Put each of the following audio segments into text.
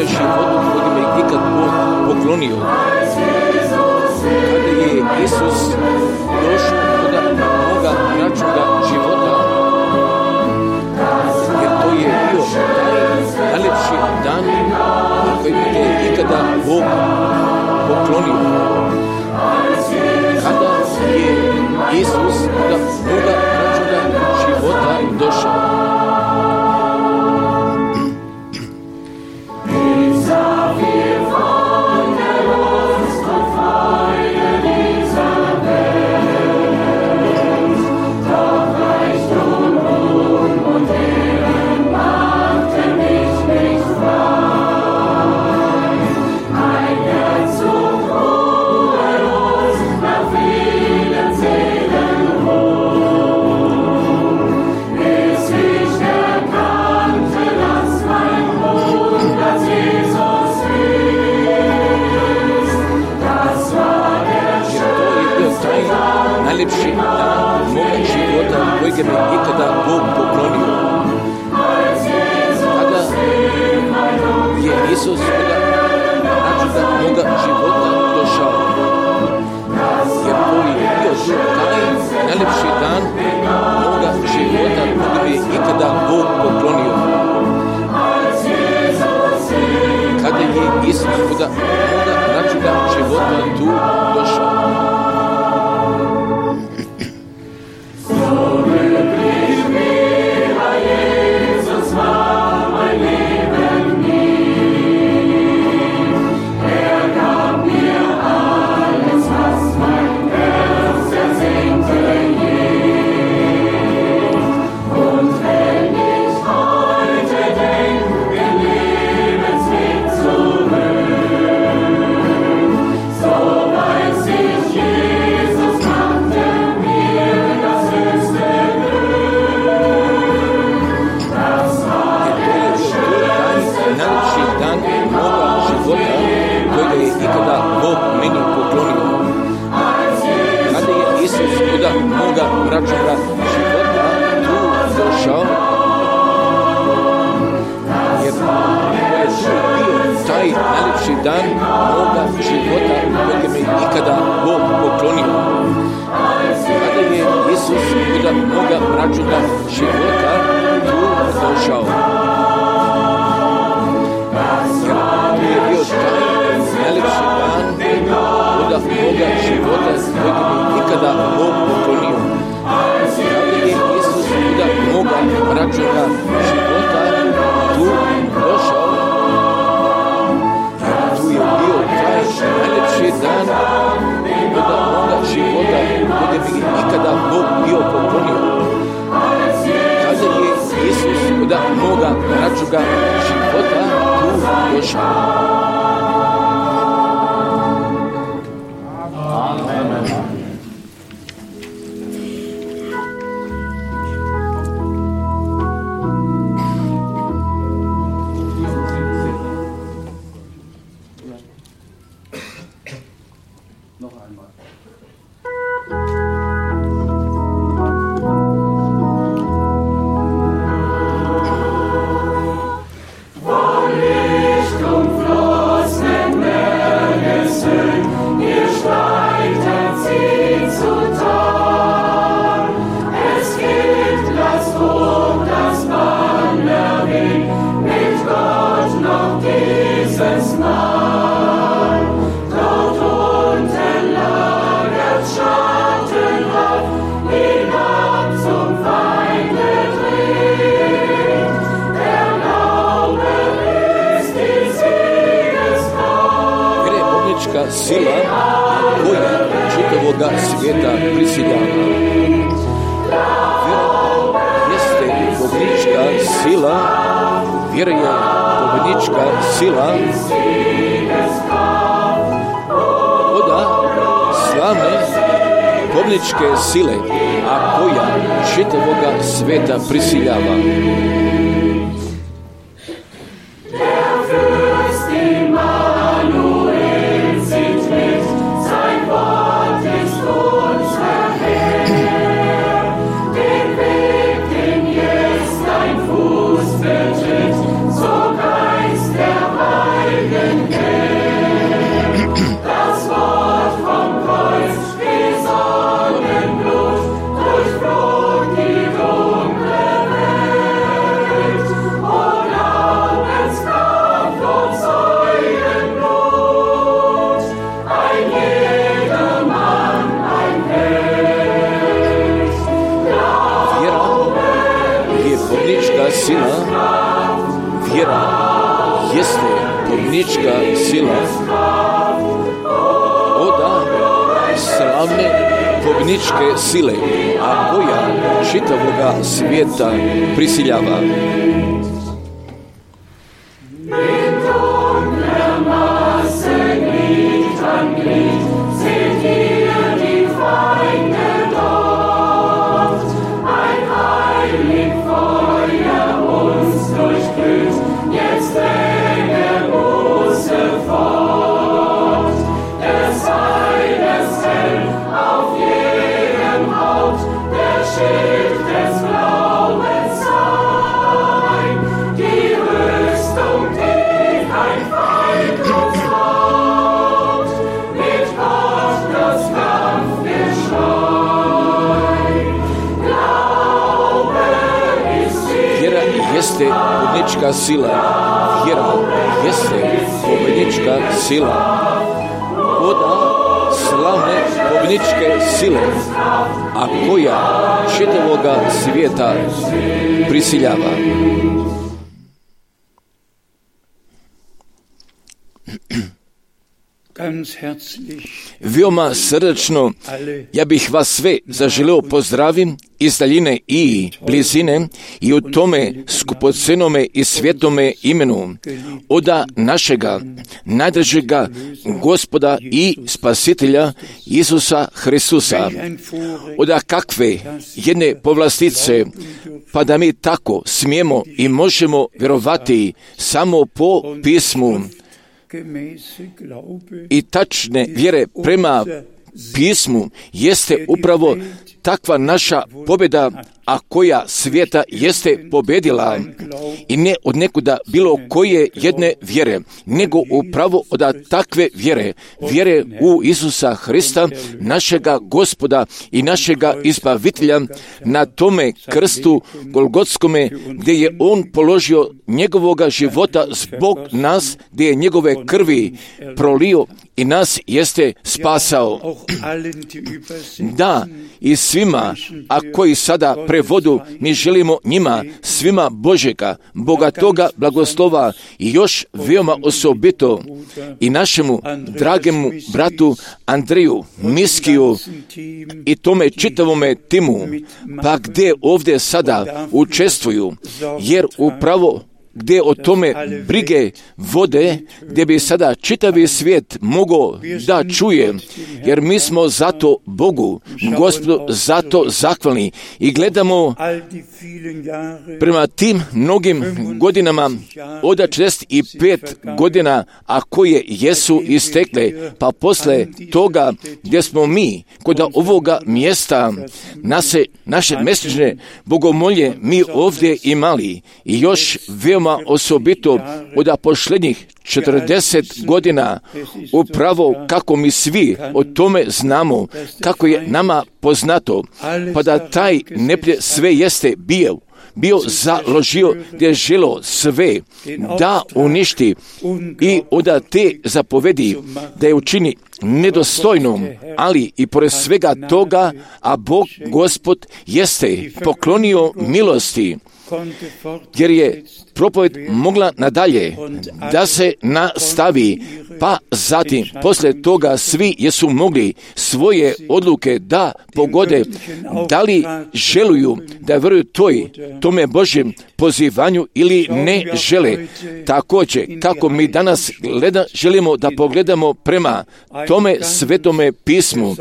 životu kojeg mi je ikad Bog poklonio. Kada je Isus došao kod moga računa života, jer to je bio taj najljepši dan koji mi je ikada Bog poklonio. Kada je Isus kod moga računa života došao. Najljepši dan moga života kojeg mi ikada Bog poklonio. Kada je Isus kod računa moga života došao. Jer to je bio taj najljepši dan moga života kojeg mi ikada Bog poklonio. Kada je Isus kod moga računa života tu došao. Moga računa života tu došao, jer to je bio taj najljepši dan moga života kojeg mi ikada Bog poklonio. Kada je Isus kod moga računa života tu došao, jer to je bio taj najljepši dan kod moga života kojeg mi ikada Bog poklonio. Kada je Isus kod moga računa života tu došao, tu je bio taj najljepši dan kod moga života kojeg mi ikada Bog bio poklonio. Kada je Isus kod moga računa života tu došao. Sila koja čitavoga svijeta prisiljava. Vjera jeste pobjednička sila, vjera je pobjednička sila oda slavne pobjedničke sile, a koja čitavoga svijeta prisiljava. So Geist der Weisheit. pobjednička sila, vjera jeste pobjednička sila oda slavne pobjedničke sile, a koja čitavoga svijeta prisiljava. Jeste pobjednička sila, vjera jeste pobjednička sila oda slavne pobjedničke sile, a koja čitavoga svijeta prisiljava. Veoma srdačno ja bih vas sve zaželeo pozdravim iz daljine i blizine i u tome skupocenome i svjetome imenu oda našega najdražega Gospoda i Spasitelja Isusa Hristusa. Oda kakve jedne povlastice, pa da mi tako smijemo i možemo vjerovati samo po pismu i tačne vjere prema pismu jeste upravo takva naša pobjeda, a koja svijeta jeste pobjedila i ne od nekuda bilo koje jedne vjere, nego upravo od takve vjere u Isusa Hrista, našega Gospoda i našega Izbavitelja, na tome krstu Golgotskome, gdje je On položio njegovoga života zbog nas, gdje je njegove krvi prolio i nas jeste spasao. Da, i svima, a koji sada prevodu, mi želimo njima, svima Božega, bogatoga blagoslova i još veoma osobito i našemu dragemu bratu Andreju Miskiju i tome čitavome timu, pa gdje ovdje sada učestvuju, jer upravo gdje o tome brige vode, gdje bi sada čitavi svijet mogao da čuje, jer mi smo zato Bogu, Gospodu, zato zahvalni i gledamo prema tim mnogim godinama, od 45 godina, a koje jesu istekle, pa posle toga gdje smo mi kod ovoga mjesta naše mjesečne bogomolje mi ovdje imali i još veoma osobito od posljednjih 40 godina, upravo kako mi svi o tome znamo, kako je nama poznato, pa da taj neprijatelj sve jeste bio založio gdje je želo sve da uništi i od te zapovedi da je učini nedostojnom, ali i pored svega toga, a Bog Gospod jeste poklonio milosti, jer je propoved mogla nadalje da se nastavi, pa zatim poslije toga svi jesu mogli svoje odluke da pogode, da li želuju da vjeruju tome Božjem pozivanju ili ne žele. Također, kako mi danas želimo da pogledamo prema tome svetome pismu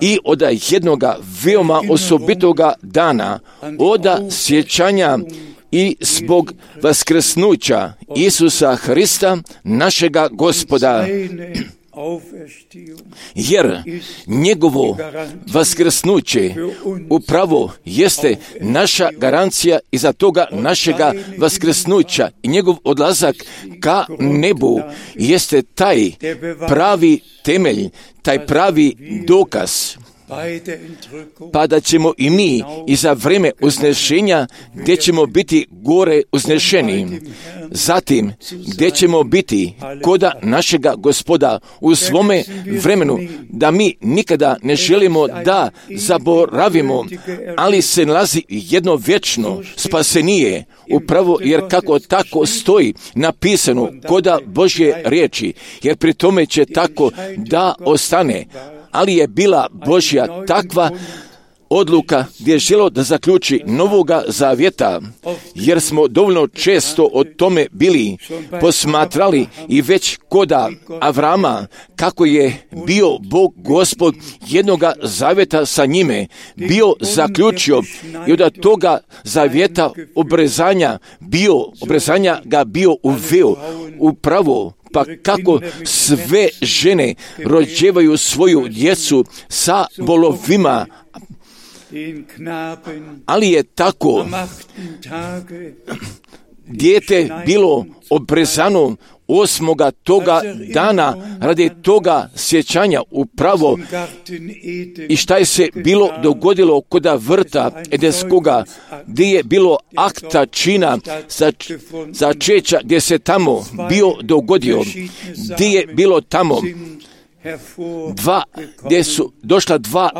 i od jednoga veoma osobitoga dana, od sjećanja i zbog vaskrsnuća Isusa Hrista, našega Gospoda, jer njegovo vaskrsnuće upravo jeste naša garancija iza toga našega vaskrsnuća i njegov odlazak ka nebu jeste taj pravi temelj, taj pravi dokaz. pa da ćemo i mi i za vrijeme uznešenja gdje ćemo biti gore uznešeni. Zatim gdje ćemo biti koda našega Gospoda u svome vremenu, da mi nikada ne želimo da zaboravimo, ali se nalazi jedno vječno spasenije, upravo jer kako tako stoji napisano koda Božje riječi, jer pri tome će tako da ostane. Ali je bila Božja takva odluka gdje je želio da zaključi novoga zavjeta, jer smo dovoljno često o tome bili posmatrali i već koda Avrama, kako je bio Bog Gospod jednoga zavjeta sa njime, bio zaključio i od toga zavjeta obrezanja ga bio uveo upravo. Pa kako sve žene rođevaju svoju djecu sa bolovima, ali je tako dijete bilo obrezano 8. toga dana radi toga sjećanja upravo. I šta je se bilo dogodilo kod vrta Edenskoga, gdje je bilo akta čina začeća, gdje se tamo bio dogodio, gdje je bilo tamo gdje su došla dva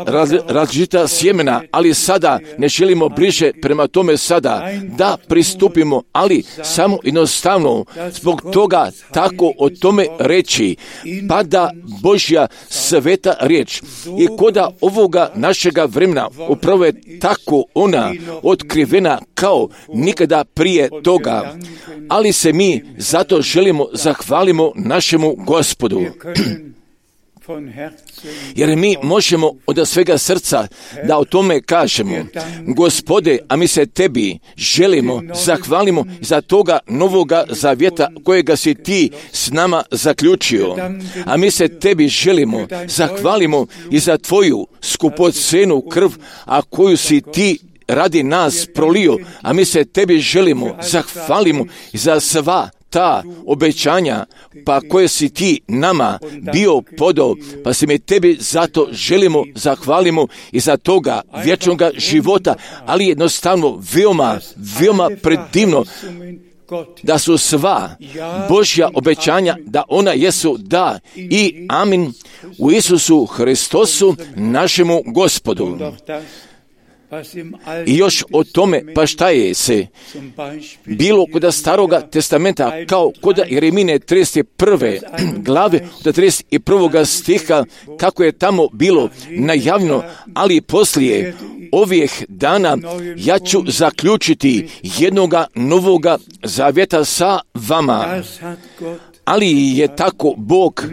različita sjemena, ali sada ne želimo bliže prema tome sada da pristupimo, ali samo jednostavno zbog toga tako o tome reći, pada Božja sveta riječ. I koda ovoga našega vremena upravo je tako ona otkrivena kao nikada prije toga, ali se mi zato želimo zahvalimo našemu Gospodu. Jer mi možemo od svega srca da o tome kažemo, Gospode, a mi se tebi želimo, zahvalimo za toga novoga zavjeta kojega si ti s nama zaključio. A mi se tebi želimo, zahvalimo i za tvoju skupocenu krv, a koju si ti radi nas prolio, a mi se tebi želimo, zahvalimo i za sva ta obećanja, pa koje si ti nama bio podao, pa se mi tebi zato želimo, zahvalimo i za toga vječnoga života, ali jednostavno veoma predivno da su sva Božja obećanja, da ona jesu da i amin u Isusu Hristosu našemu Gospodu. I još o tome, pa šta je se bilo kod Staroga testamenta, kao kod Jeremine 31. glave, od 31. stiha, kako je tamo bilo najavljeno, ali poslije ovih dana ja ću zaključiti jednoga novoga zavjeta sa vama. Ali je tako Bog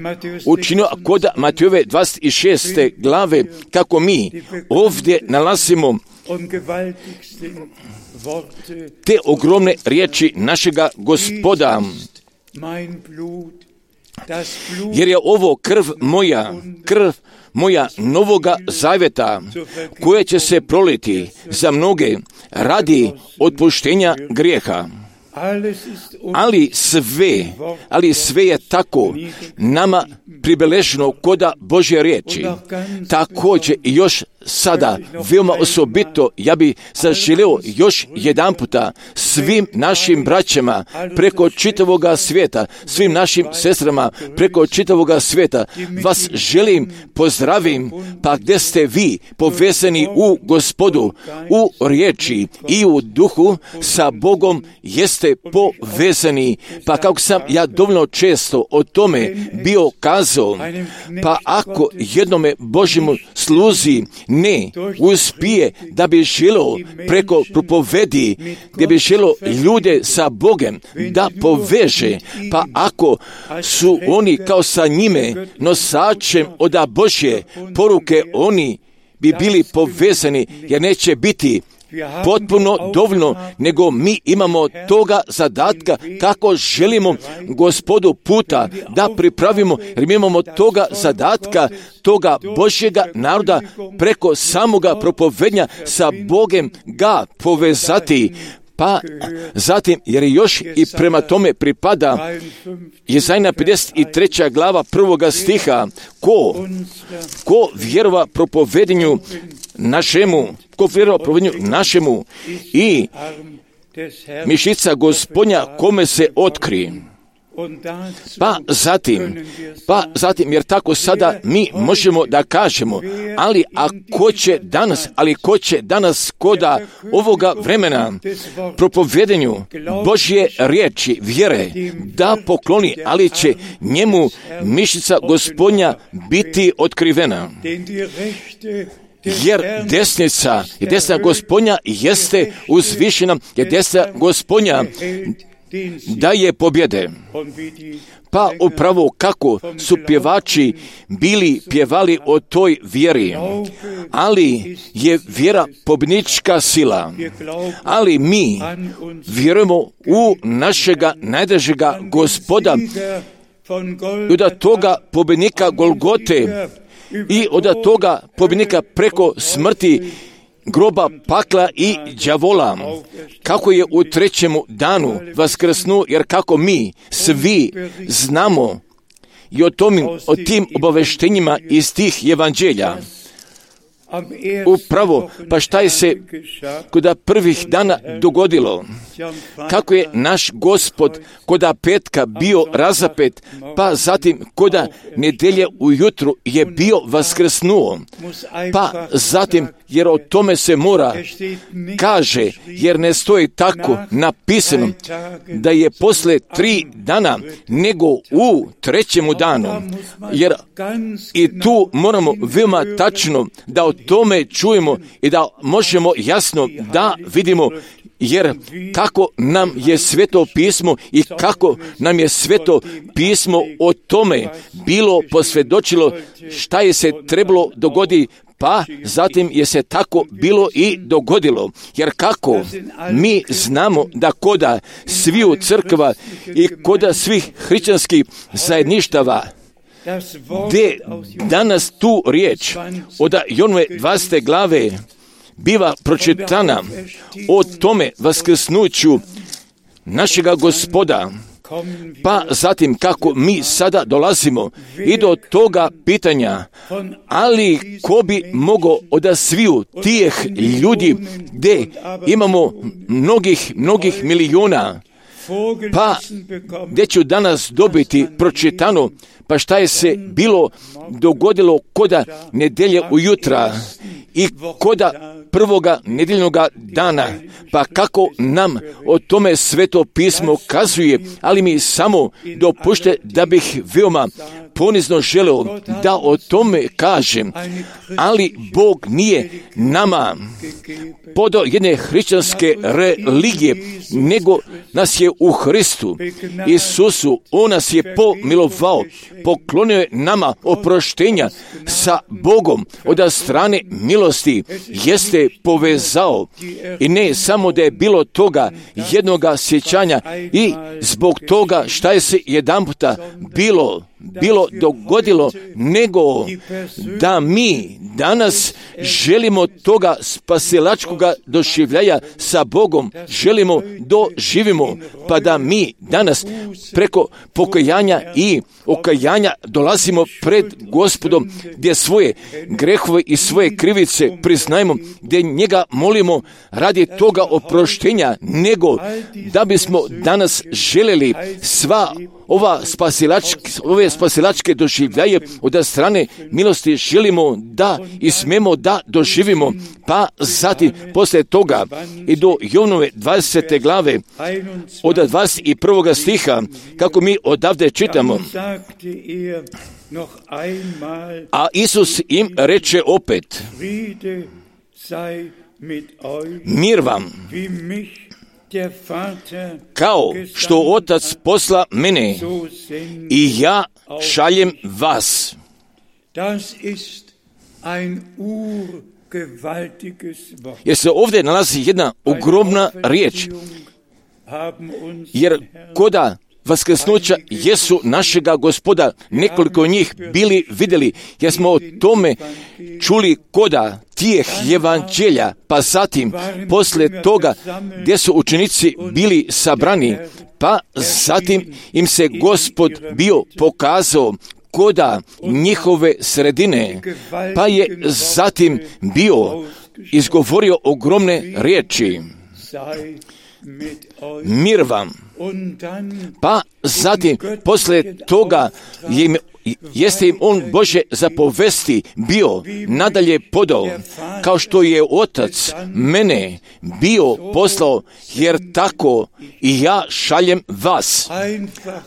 učinio kod Matejove 26. glave, kako mi ovdje nalazimo te ogromne riječi našega Gospoda. Jer je ovo krv moja novoga zavjeta, koja će se proliti za mnoge radi otpuštenja grijeha. Ali sve je tako nama pribeleženo koda Božje riječi. Također i još sada, veoma osobito, ja bi zaželio još jedan puta svim našim braćama preko čitavoga svijeta, svim našim sestrama preko čitavoga svijeta, vas želim pozdravim, pa gdje ste vi povezani u Gospodu, u riječi i u duhu sa Bogom jeste povezani, pa kako sam ja dovoljno često o tome bio kazao, pa ako jednome Božjemu sluzi ne uspije da bi želo preko propovedi, gdje bi želo ljude sa Bogom da poveže, pa ako su oni kao sa njime nosačem od Božje poruke, oni bi bili povezani, jer neće biti potpuno dovoljno, nego mi imamo toga zadatka kako želimo Gospodu puta da pripravimo, jer mi imamo toga zadatka, toga Božjega naroda preko samoga propovednja sa Bogom ga povezati, Pa zatim, jer još i prema tome pripada Jezajna 53. glava 1. stiha, ko vjerova propovedanju našemu i mišica Gospodnja kome se otkri. Pa zatim, jer tako sada mi možemo da kažemo, ali ko će danas koda ovoga vremena propovedanju Božje riječi, vjere, da pokloni, ali će njemu mišica Gospodnja biti otkrivena. Jer desna Gospodnja jeste uzvišena, jer desna Gospodnja daje pobjede. Pa upravo kako su pjevači bili pjevali o toj vjeri, ali je vjera pobjednička sila, ali mi vjerujemo u našega najdražega Gospoda i od toga pobjednika Golgote i od toga pobjednika preko smrti, groba, pakla i đavola, kako je u trećemu danu vaskrsnuo, jer kako mi svi znamo i o tim obaveštenjima iz tih evanđelja. Upravo, pa šta je se koda prvih dana dogodilo? Kako je naš Gospod koda petka bio razapet, pa zatim koda nedelje ujutru je bio vaskrsnuo. Pa zatim, jer o tome se mora kaže, jer ne stoji tako napisano da je posle 3 dana nego u trećemu danu. Jer i tu moramo veoma tačno da o tome čujemo i da možemo jasno da vidimo, jer kako nam je Sveto pismo i kako nam je Sveto pismo o tome bilo posvjedočilo šta je se trebalo dogoditi, pa zatim je se tako bilo i dogodilo. Jer kako mi znamo da koda sviju crkva i koda svih hrišćanskih zajedništava, gdje danas tu riječ od Jonove 20. glave biva pročitana o tome vaskrsnuću našega Gospoda, pa zatim kako mi sada dolazimo i do toga pitanja, ali ko bi mogao od sviju tih ljudi gdje imamo mnogih milijuna, pa gdje ću danas dobiti pročitano, pa šta je se bilo dogodilo koda nedelje ujutra i koda prvoga nedeljnoga dana, pa kako nam o tome Sveto pismo kazuje, ali mi samo dopušte da bih veoma ponizno želeo da o tome kažem, ali Bog nije nama podao jedne hrišćanske religije, nego nas je u Hristu Isusu, On nas je pomilovao, poklonio je nama oproštenja sa Bogom od strane milosti, jeste povezao, i ne samo da je bilo toga jednoga sjećanja i zbog toga šta je se jedanputa bilo dogodilo, nego da mi danas želimo toga spasilačkoga doživljaja sa Bogom, želimo doživimo, pa da mi danas preko pokajanja i okajanja dolazimo pred Gospodom, gdje svoje grehove i svoje krivice priznajemo, gdje njega molimo radi toga oproštenja, nego da bismo danas željeli sva ove spasilačke doživljaje od strane milosti želimo da i smemo da doživimo, pa zatim poslije toga i do Jovnove 20. glave od 21. stiha, kako mi odavde čitamo. A Isus im reče opet, mir vam, kao što Otac posla mene i ja šaljem vas. Jer se ovdje nalazi jedna ogromna riječ, jer koda vaskrsnuća jesu našega Gospoda, nekoliko njih bili vidjeli, jer smo o tome čuli koda tijeh evanđelja, pa zatim poslije toga gdje su učenici bili sabrani, pa zatim im se Gospod bio pokazao koda njihove sredine, pa je zatim bio izgovorio ogromne riječi. Mir vam. Pa zatim poslije toga jeste im on Bože zapovesti bio nadalje podao, kao što je Otac mene bio poslao, jer tako i ja šaljem vas.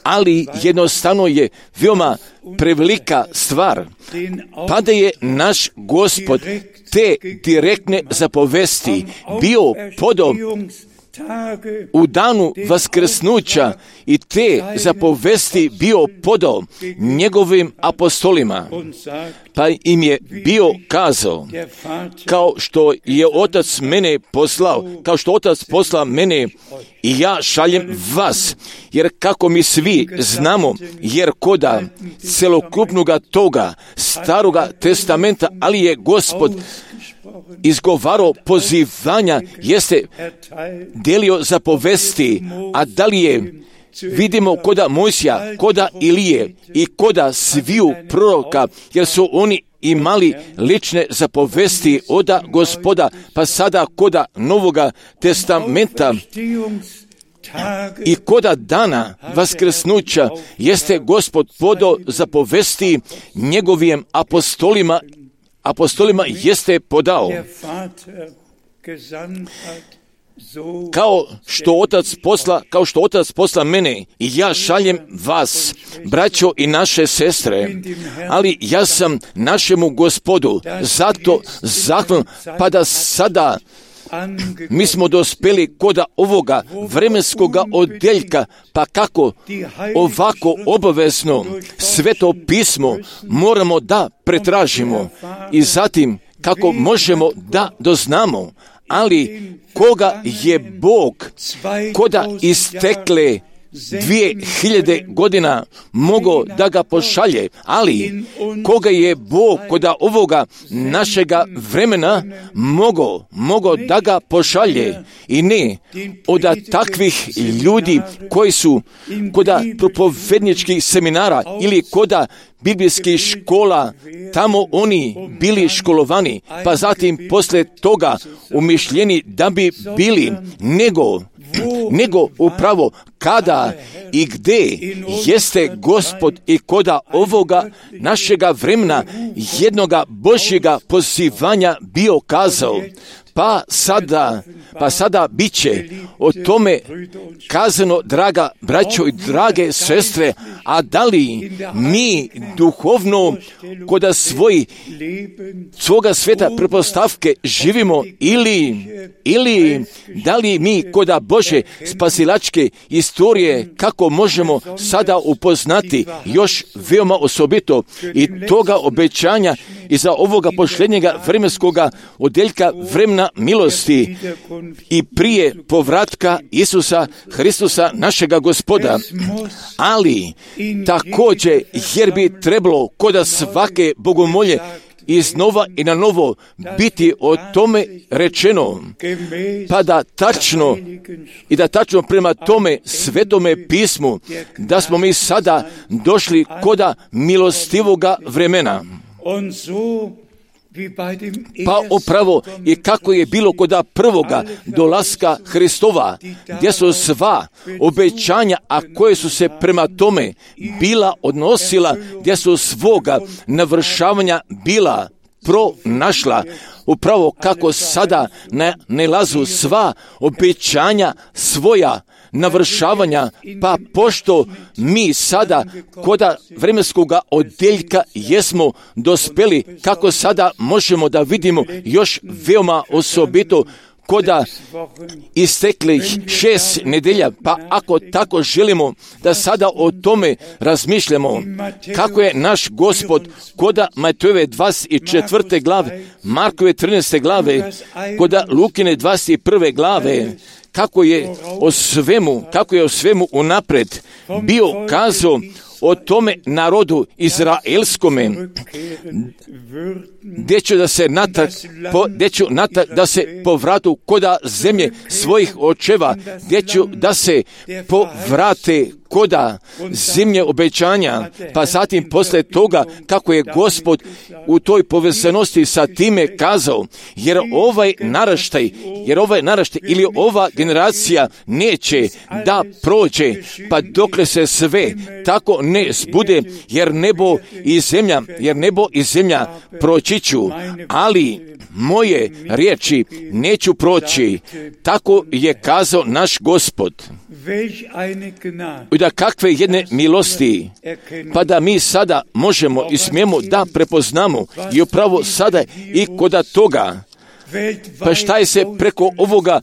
Ali jednostavno je veoma prevelika stvar, pa da je naš Gospod te direktne zapovesti bio podao u danu vaskrsnuća i te zapovesti bio podao njegovim apostolima, pa im je bio kazao, kao što je Otac mene poslao, kao što Otac posla mene i ja šaljem vas, jer kako mi svi znamo, jer koda celokupnoga toga staroga testamenta, ali je Gospod izgovarao pozivanja, jeste delio zapovesti, a da li je vidimo koda Mojsija, koda Ilije i koda sviju proroka, jer su oni imali lične zapovesti od Gospoda, pa sada koda Novoga testamenta i koda dana vaskrsnuća jeste Gospod podao zapovesti njegovim apostolima jeste podao, kao što Otac posla mene i ja šaljem vas, braćo i naše sestre, ali ja sam našemu Gospodu zato zahvalan, pa da sada mi smo dospeli koda ovoga vremenskoga odjeljka, pa kako ovako obavezno Sveto pismo moramo da pretražimo i zatim kako možemo da doznamo, ali koga je Bog koda istekle 2000 godina mogao da ga pošalje, ali koga je Bog koda ovoga našega vremena mogao da ga pošalje, i ne od takvih ljudi koji su koda propovedničkih seminara ili koda biblijskih škola, tamo oni bili školovani, pa zatim poslije toga umišljeni da bi bili, nego upravo kada i gdje jeste Gospod i koda ovoga našega vremena jednoga Božjega pozivanja bio kazao. Pa sada bit će o tome kazano, draga braćo i drage sestre, a da li mi duhovno koda svoga sveta pretpostavke živimo ili da li mi koda Bože spasilačke istorije kako možemo sada upoznati još veoma osobito i toga obećanja i za ovoga posljednjega vremenskoga odjeljka vremena milosti i prije povratka Isusa Hristusa našega Gospoda. Ali također, jer bi trebalo koda svake bogomolje iznova i na novo biti o tome rečeno, pa da tačno prema tome svetome pismu, da smo mi sada došli koda milostivoga vremena. Pa upravo i kako je bilo koda prvoga dolaska Hristova, gdje su sva obećanja, a koje su se prema tome bila odnosila, gdje su svoga navršavanja bila pronašla, upravo kako sada nalazu sva obećanja svoja navršavanja, pa pošto mi sada koda vremenskoga odjeljka jesmo dospeli, kako sada možemo da vidimo još veoma osobito koda isteklih 6 nedelja, pa ako tako želimo da sada o tome razmišljamo, kako je naš Gospod koda Matejove 24. glave, Markove 13. glave, koda Lukine 21. glave, kako je o svemu unaprijed bio kazao o tome narodu izraelskome, gdje ću da se povratu koda zemlje svojih očeva, gdje ću da se povrate koda zemlje obećanja, pa zatim posle toga kako je Gospod u toj povezanosti sa time kazao, jer ovaj naraštaj ili ova generacija neće da prođe, pa dokle se sve tako ne zbude, jer nebo i zemlja proći ću, ali moje riječi neću proći. Tako je kazao naš Gospod. Da kakve jedne milosti, pa da mi sada možemo i smijemo da prepoznamo i upravo sada i koda toga. Pa šta je se preko ovoga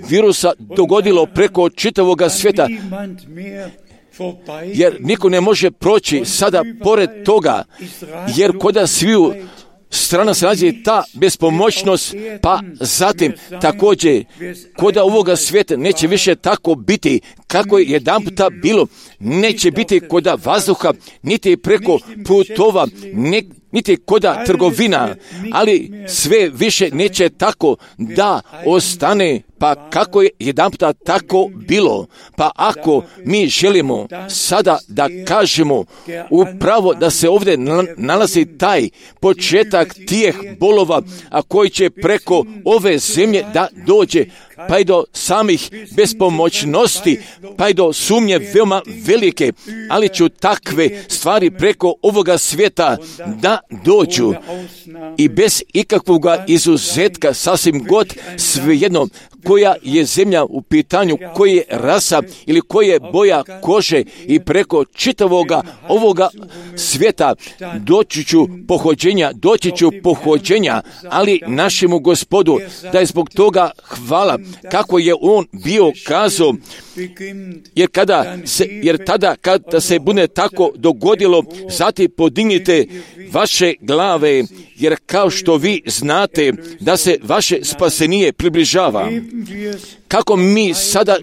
virusa dogodilo preko čitavoga svijeta? Jer niko ne može proći sada pored toga, jer koda sviju strana se nalazi ta bespomoćnost, pa zatim također koda ovoga svijeta neće više tako biti kako je jedanputa bilo, neće biti koda vazduha, niti preko putova, niti koda trgovina, ali sve više neće tako da ostane, pa kako je jedanputa tako bilo. Pa ako mi želimo sada da kažemo upravo da se ovdje nalazi taj početak tih bolova, a koji će preko ove zemlje da dođe, pa i do samih bespomoćnosti, pa i do sumnje veoma velike, ali ću takve stvari preko ovoga svijeta da dođu i bez ikakvog izuzetka, sasvim god svejedno koja je zemlja u pitanju, koja je rasa ili koja je boja kože, i preko čitavoga ovoga svijeta doći ću pohođenja, ali našemu Gospodu da je zbog toga hvala, kako je on bio kazao, jer tada kada se bude tako dogodilo, zatim podignite vaše glave, jer kao što vi znate da se vaše spasenije približava. Kako mi sada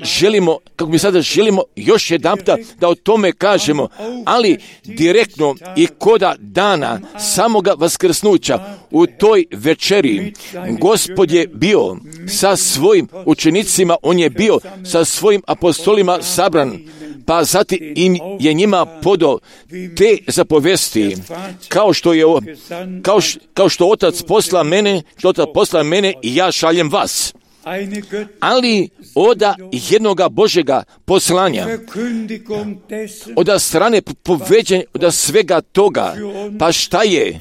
želimo još jedanputa da o tome kažemo, ali direktno i koda dana samoga vaskrsnuća u toj večeri Gospod je bio sa svojim učenicima, on je bio sa svojim apostolima sabran, pa zatim je njima podao te zapovesti, kao što Otac posla mene i ja šaljem vas. Ali oda jednoga Božjega poslanja, oda strane poveđenja, oda svega toga, pa šta je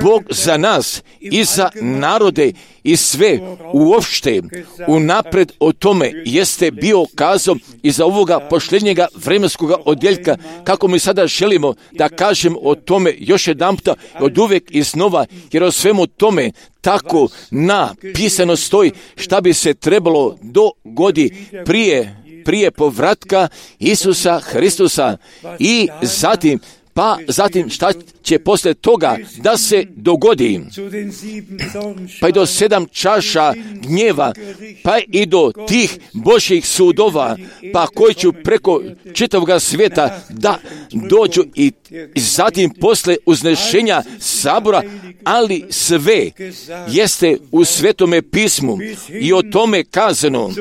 Bog za nas i za narode i sve uopšte unapred o tome jeste bio kazom i za ovoga posljednjega vremenskoga odjeljka, kako mi sada želimo da kažem o tome još jedanputa od uvijek i znova, jer o svemu tome tako napisano stoji šta bi se trebalo dogodi prije povratka Isusa Hristusa i zatim šta će poslije toga da se dogodi, pa i do 7 čaša gnjeva, pa i do tih Božjih sudova, pa koji će preko čitavog svijeta da dođu i zatim poslije uznešenja sabora, ali sve jeste u Svetome pismu i o tome kazano,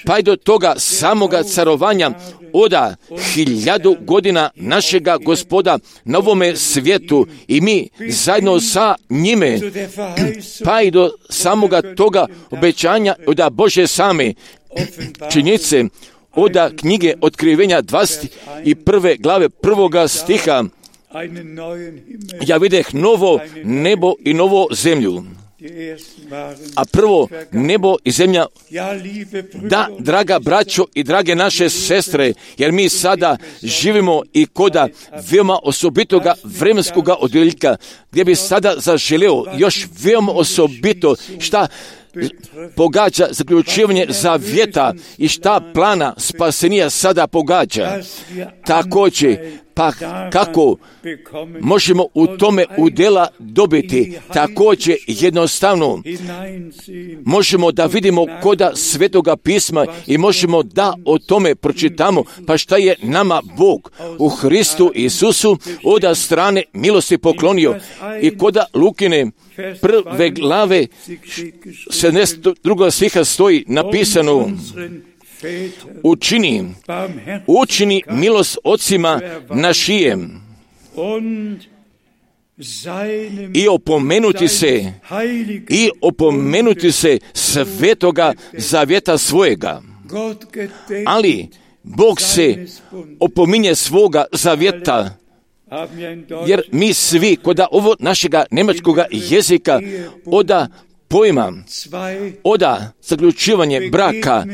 pa i do toga samoga carovanja oda 1000 godina našega Gospoda na ovome svijetu i mi zajedno sa njime, pa i do samoga toga obećanja oda Bože same činjenice oda knjige Otkrivenja 21. glave 1. stiha. Ja videh novo nebo i novo zemlju. A prvo nebo i zemlja, da, draga braćo i drage naše sestre, jer mi sada živimo i koda veoma osobitoga vremenskoga odjeljka, gdje bi sada zaželeo još veoma osobito šta pogađa zaključivanje zavjeta i šta plana spasenija sada pogađa. Također, Pa kako možemo u tome udjela dobiti? Također jednostavno možemo da vidimo koda Svetoga pisma i možemo da o tome pročitamo, pa šta je nama Bog u Hristu Isusu od strane milosti poklonio. I koda Lukine prve glave 72. stiha stoji napisano: učini milost ocima našijem i opomenuti se svetoga zavjeta svojega. Ali Bog se opominje svoga zavjeta, jer mi svi koda ovo našega njemačkoga jezika oda pojma, oda zaključivanje braka,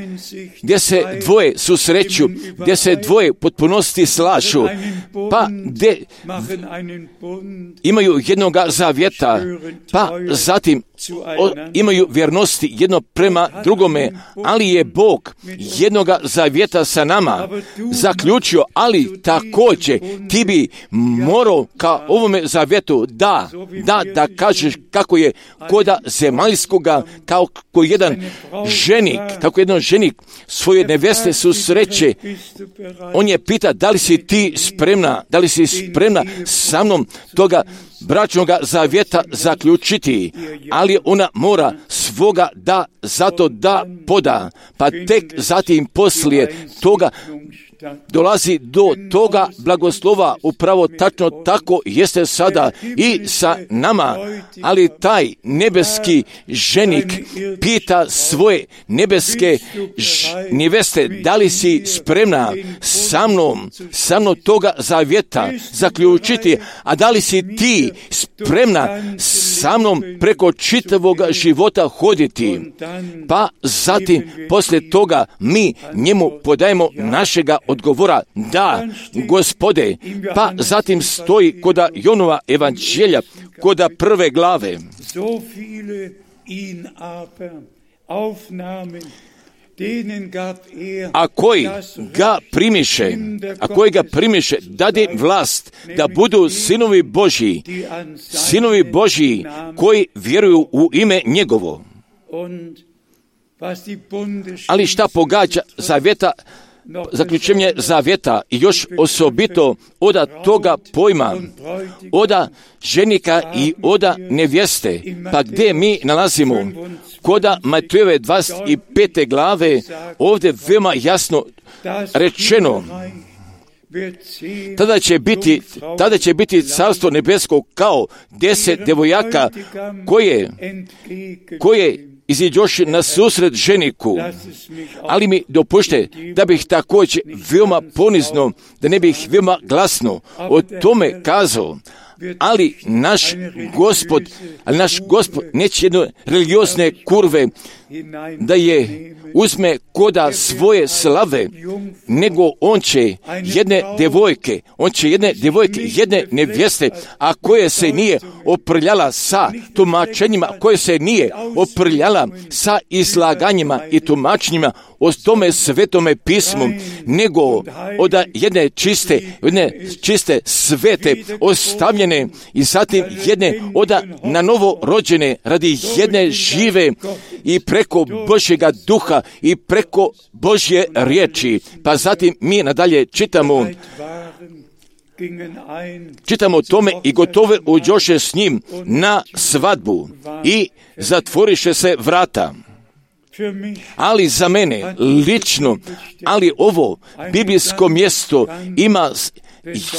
gdje se dvoje susreću, gdje se dvoje potpunosti slažu, pa gdje imaju jednoga zavjeta, pa zatim imaju vjernosti jedno prema drugome, ali je Bog jednoga zavjeta sa nama zaključio, ali također ti bi morao ka ovome zavjetu da kažeš kako je koda zemaljskoga, kako jedan ženik svoje neveste susreće. On je pita: da li si ti spremna sa mnom toga bračnoga zavjeta zaključiti, ali ona mora svoga zato da poda, pa tek zatim poslije toga dolazi do toga blagoslova. Upravo tačno tako jeste sada i sa nama, ali taj nebeski ženik pita svoje nebeske neveste: da li si spremna sa mnom toga zavjeta zaključiti, a da li si ti spremna sa mnom preko čitavog života hoditi? Pa zatim poslije toga mi njemu podajemo našega odgovora: da, Gospode. Pa zatim stoji koda Jonova evanđelja, koda prve glave: a koji ga primiše, dade vlast da budu sinovi Božji koji vjeruju u ime njegovo. Ali šta pogađa zavjeta, zaključenje zavjeta i još osobito oda toga pojma, oda ženika i oda nevjeste, pa gdje mi nalazimo? Koda Matejove 25. glave ovdje veoma jasno rečeno: tada će biti carstvo nebesko kao 10 devojaka koje iziđoše na susret ženiku. Ali mi dopušte da bih također veoma ponizno, da ne bih veoma glasno o tome kazao, ali naš Gospod neće jedne religiozne kurve da je uzme koda svoje slave, nego on će jedne devojke, jedne nevjeste, a koje se nije oprljala sa tumačenjima, koje se nije oprljala sa izlaganjima i tumačenjima o tome svetome pismu, nego od jedne čiste svete ostavljene i zatim jedne na novo rođene radi jedne žive i preko Božjega duha i preko Božje riječi. Pa zatim mi nadalje čitamo o tome: i gotove uđoše s njim na svadbu i zatvoriše se vrata. Ali za mene lično, ali ovo biblijsko mjesto ima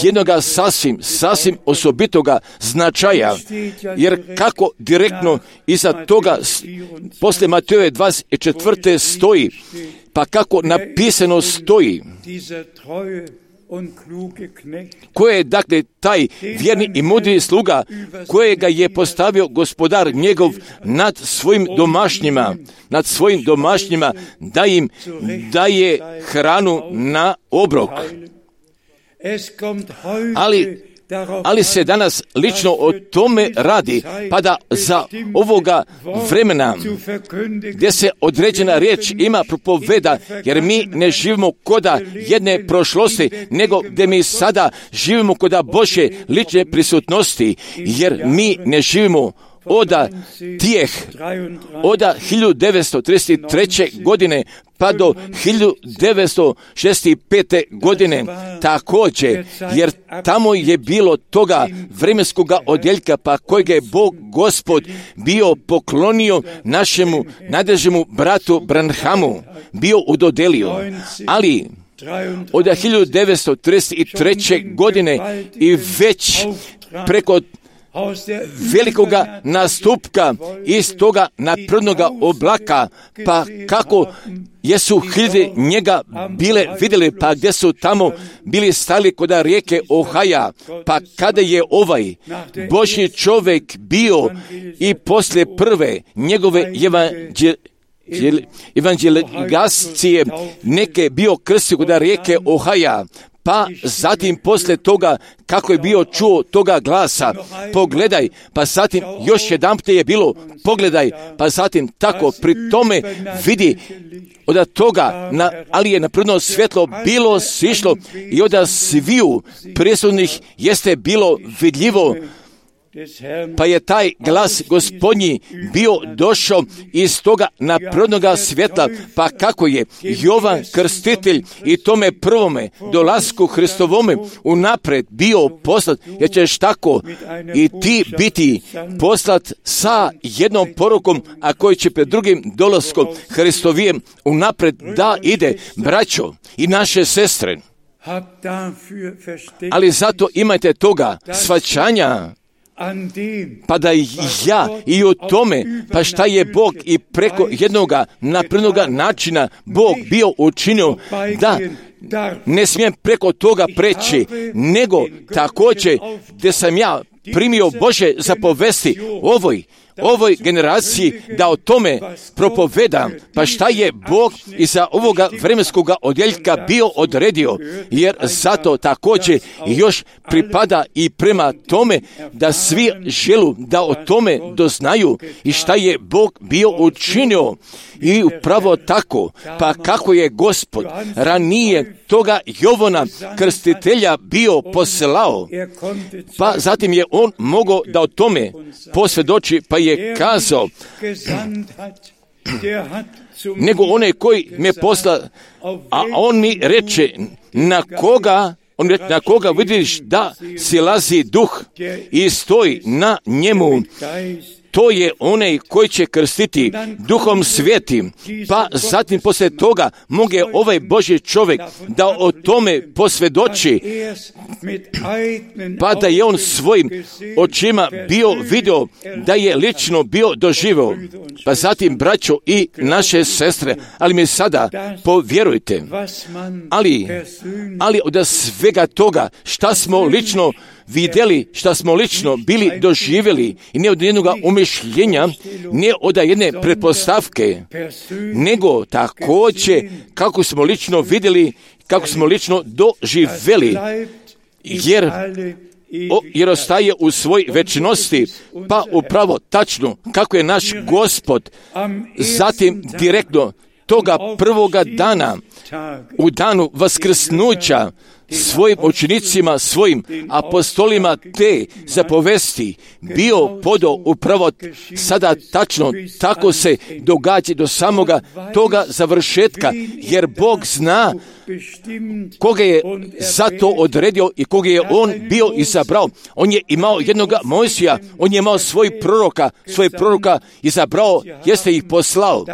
jednoga sasvim osobitoga značaja, jer kako direktno iza toga posle Matejove 24. stoji, pa kako napisano stoji: ko je dakle taj vjerni i mudri sluga kojega je postavio gospodar njegov nad svojim domašnjima, da im daje hranu na obrok. Ali ali se danas lično o tome radi, pa da za ovoga vremena gdje se određena riječ ima propoveda, jer mi ne živimo koda jedne prošlosti, nego gdje mi sada živimo koda Božje lične prisutnosti, jer mi ne živimo od 1933. godine pa do 1965. godine također, jer tamo je bilo toga vremenskoga odjeljka pa kojeg je Bog Gospod bio poklonio našemu nadežemu bratu Branhamu, bio udodelio, ali od 1933. godine i već preko velikoga nastupka iz toga naprednoga oblaka, pa kako jesu hiljade njega bile vidjeli, pa gdje su tamo bili stali kod rijeke Ohaja, pa kada je ovaj Božji čovjek bio i poslije prve njegove evangelizacije neke bio krstio kod rijeke Ohaja, pa zatim poslije toga kako je bio čuo toga glasa, pogledaj, pa zatim još jedanput je bilo, pogledaj, pa zatim tako pri tome vidi od toga, ali je napredno svjetlo bilo sišlo i od sviju prisutnih jeste bilo vidljivo, pa je taj glas Gospodnji bio došao iz toga naprednoga svjetla, pa kako je Jovan Krstitelj i tome prvome dolasku Hristovome unaprijed bio poslat, jer ćeš tako i ti biti poslat sa jednom porukom, a koji će pred drugim dolaskom Hristovijem unaprijed da ide, braćo i naše sestre. Ali zato imajte toga shvaćanja, pa da ja i o tome, pa šta je Bog i preko jednoga naprednoga načina Bog bio učinio, da ne smijem preko toga preći, nego također gdje sam ja primio Bože zapovesti ovoj generaciji da o tome propovedam, pa šta je Bog iza ovoga vremenskoga odjeljka bio odredio, jer zato također još pripada i prema tome da svi želu da o tome doznaju i šta je Bog bio učinio. I upravo tako, pa kako je Gospod ranije toga Jovana Krstitelja bio poslao, pa zatim je on mogao da o tome posvjedoči, pa je kazao, nego onaj koji me posla, a on mi reče, na koga vidiš da silazi duh i stoji na njemu, to je onaj koji će krstiti Duhom Svetim. Pa zatim poslije toga moge ovaj Božji čovjek da o tome posvjedoči, pa da je on svojim očima bio vidio, da je lično bio doživio. Pa zatim, braćo i naše sestre, ali mi sada povjerujte, ali od svega toga šta smo lično vidjeli, šta smo lično bili doživjeli, i ne od jednog umišljenja, ne od jedne pretpostavke, nego također kako smo lično vidjeli, kako smo lično doživjeli, jer ostaje u svoj večnosti, pa upravo tačno kako je naš Gospod zatim direktno toga prvoga dana, u danu vaskrsnuća, svojim učenicima, svojim apostolima te zapovesti bio podao upravo sada tačno, tako se događa do samoga toga završetka, jer Bog zna koga je za to odredio i koga je on bio izabrao. On je imao jednoga Mojsija, on je imao svoje proroka izabrao, jeste ih poslao,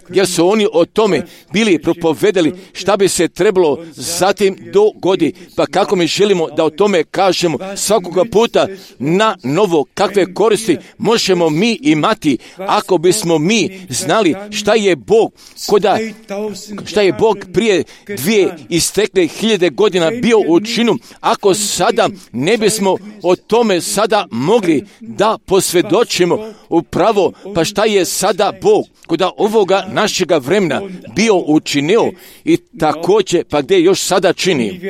jer su oni o tome bili propovedali šta bi se trebalo zatim dogodi. Pa kako mi želimo da o tome kažemo svakoga puta na novo, kakve koristi možemo mi imati ako bismo mi znali šta je Bog prije 2000 godina bio učinio, ako sada ne bismo o tome sada mogli da posvjedočimo upravo, pa šta je sada Bog kod ovoga našega vremena bio učinio i također pa gdje još sada čini.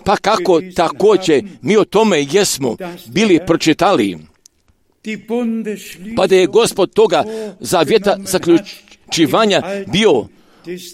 Pa kako također mi o tome jesmo bili pročitali, pa da je Gospod toga zavjeta zaključivanja bio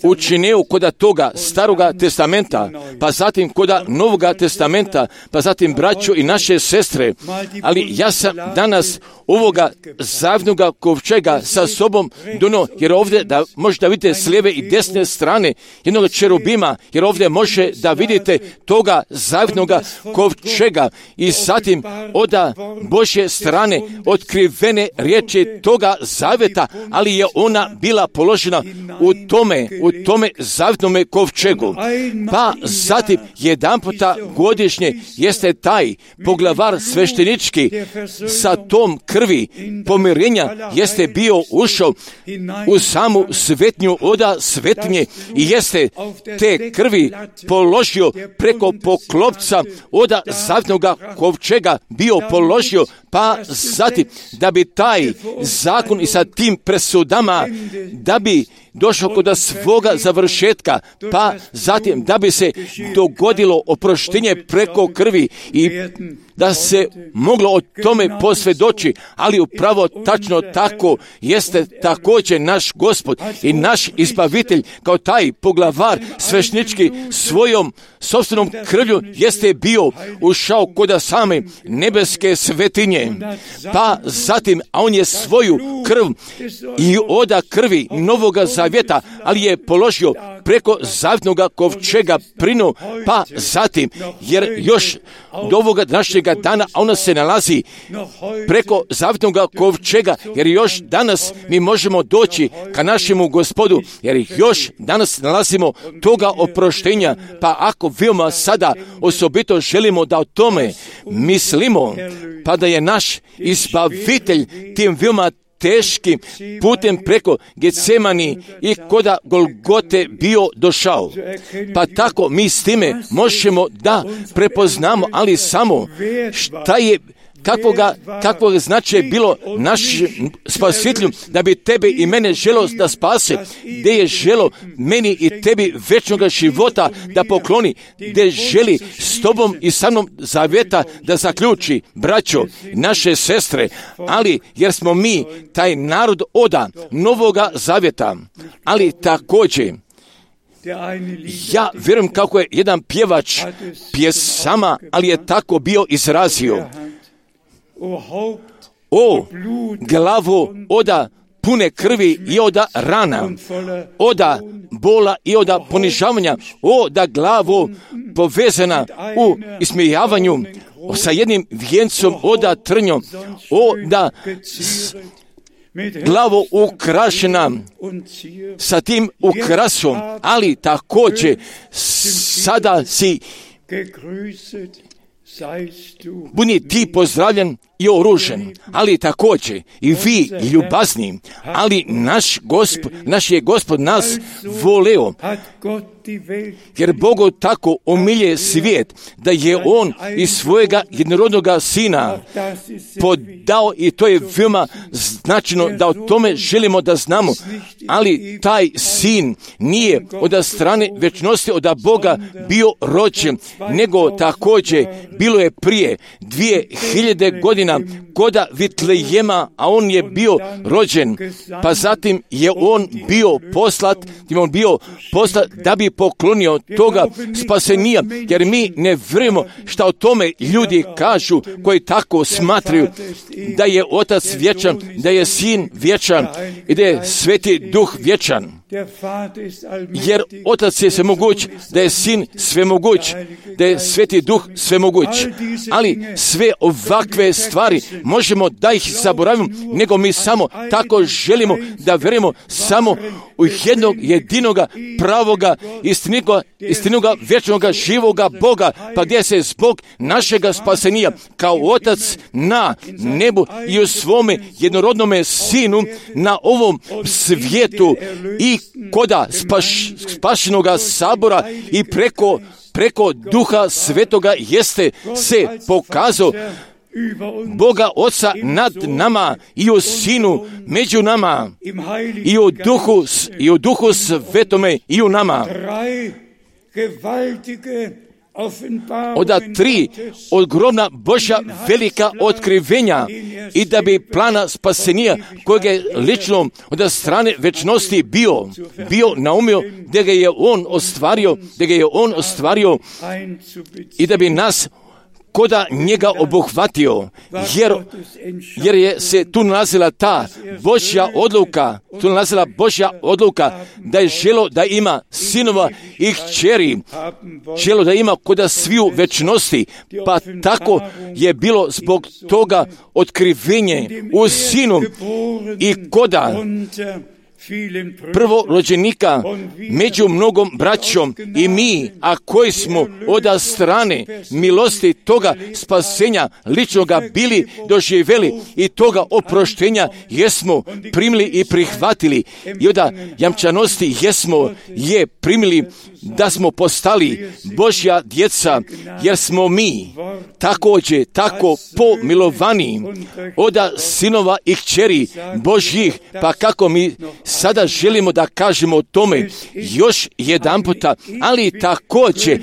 učinio kod toga Staroga testamenta, pa zatim kod Novoga testamenta, pa zatim braćo i naše sestre. Ali ja sam danas ovoga zavnoga kovčega sa sobom dono, jer ovdje da možete vidjeti s lijeve i desne strane jednog čerubima, jer ovdje može da vidite toga zavnoga kovčega i zatim od Božje strane otkrivene riječi toga zavjeta, ali je ona bila položena u tome zavjetnome kovčegu. Pa zatim jedanputa godišnje jeste taj poglavar sveštenički sa tom krvi pomirenja jeste bio ušao u samu svetnju oda svetnje i jeste te krvi položio preko poklopca oda zavjetnoga kovčega bio položio, pa zatim da bi taj zakon i sa tim presudama da bi došao kod svoga završetka, pa zatim da bi se dogodilo oproštenje preko krvi i da se moglo o tome posvjedoči, ali upravo tačno tako jeste također naš Gospod i naš izbavitelj kao taj poglavar sveštenički svojom sopstvenom krvlju jeste bio ušao kod same nebeske svetinje, pa zatim, a on je svoju krv i oda krvi Novoga zavjeta, ali je položio preko zavjetnoga kovčega prinu, pa zatim, jer još do ovoga današnjega dana ona se nalazi preko zavjetnoga kovčega, jer još danas mi možemo doći ka našemu Gospodu, jer još danas nalazimo toga oproštenja, pa ako veoma sada osobito želimo da o tome mislimo, pa da je naš izbavitelj tim veoma teškim putem preko Getsemani i koda Golgote bio došao. Pa tako mi s time možemo da prepoznamo, ali samo šta je kakvog značaja bilo našem spasitelju da bi tebe i mene želo da spase, gdje je želo meni i tebi večnoga života da pokloni, gdje želi s tobom i sa mnom zavjeta da zaključi, braćo, naše sestre, ali jer smo mi taj narod oda Novoga zavjeta, ali također ja vjerujem kako je jedan pjevač pjesama, ali je tako bio izrazio: o glavo oda pune krvi i oda rana, oda bola i oda ponižavanja, o da glavo povezana u ismijavanju sa jednim vijencom oda trnjom, o da glavo ukrašena sa tim ukrasom, ali također sada si budi ti pozdravljen i oružen, ali također i vi ljubazni, ali naš je Gospod nas voleo, jer Bogu tako omilje svijet, da je On iz svojega jednorodnoga Sina podao, i to je veoma značajno da o tome želimo da znamo, ali taj Sin nije od strane večnosti od Boga bio rođen, nego također bilo je prije 2000 godina koda Vitlejema, a on je bio rođen, pa zatim je on bio poslat da bi poklonio toga spasenija, jer mi ne vjerujemo šta o tome ljudi kažu koji tako smatraju da je Otac vječan, da je Sin vječan i da je Sveti Duh vječan. Jer Otac je svemoguć, da je Sin svemoguć, da je Sveti Duh svemoguć. Ali sve ovakve stvari možemo da ih zaboravimo, nego mi samo tako želimo da vjerujemo samo u jednog jedinoga pravoga istinoga vječnoga živoga Boga, pa gdje se zbog našega spasenija kao Otac na nebu i u svome jednorodnome Sinu na ovom svijetu i koda spašenoga sabora i preko Duha Svetoga jeste se pokazao Boga Oca nad nama i u Sinu među nama i u Duhu Svetome i u nama. oda 3 ogromna Božja velika otkrivenja i da bi plana spasenja kojeg je lično od strane večnosti bio naumio, da ga je on ostvario i da bi nas koda njega obuhvatio, jer je se tu nalazila ta Božja odluka, da je želo da ima sinova i kćeri, želo da ima koda sviju večnosti, pa tako je bilo zbog toga otkrivenje u sinu i koda prvorođenika među mnogom braćom i mi, a koji smo od strane milosti toga spasenja ličnoga bili doživjeli i toga oproštenja jesmo primili i prihvatili i od jamčanosti je primili da smo postali Božja djeca, jer smo mi također tako pomilovani od sinova i kćeri Božjih, pa kako mi sada želimo da kažemo o tome još jedan puta, ali također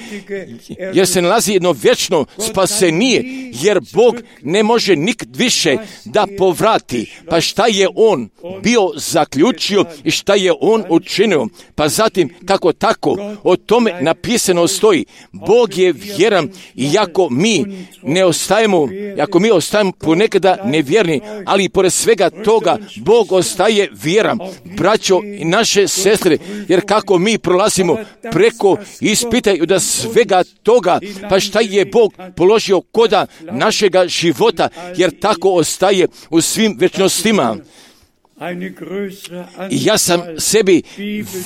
jer se nalazi jedno vječno spasenije, jer Bog ne može nikad više da povrati, pa šta je On bio zaključio i šta je On učinio, pa zatim kako tako o tome napisano stoji. Bog je vjeran i ako mi ostajemo ponekada nevjerni, ali pored svega toga Bog ostaje vjeran. Braćo i naše sestre, jer kako mi prolazimo preko ispitaju da svega toga, pa šta je Bog položio koda našega života, jer tako ostaje u svim večnostima. I ja sam sebi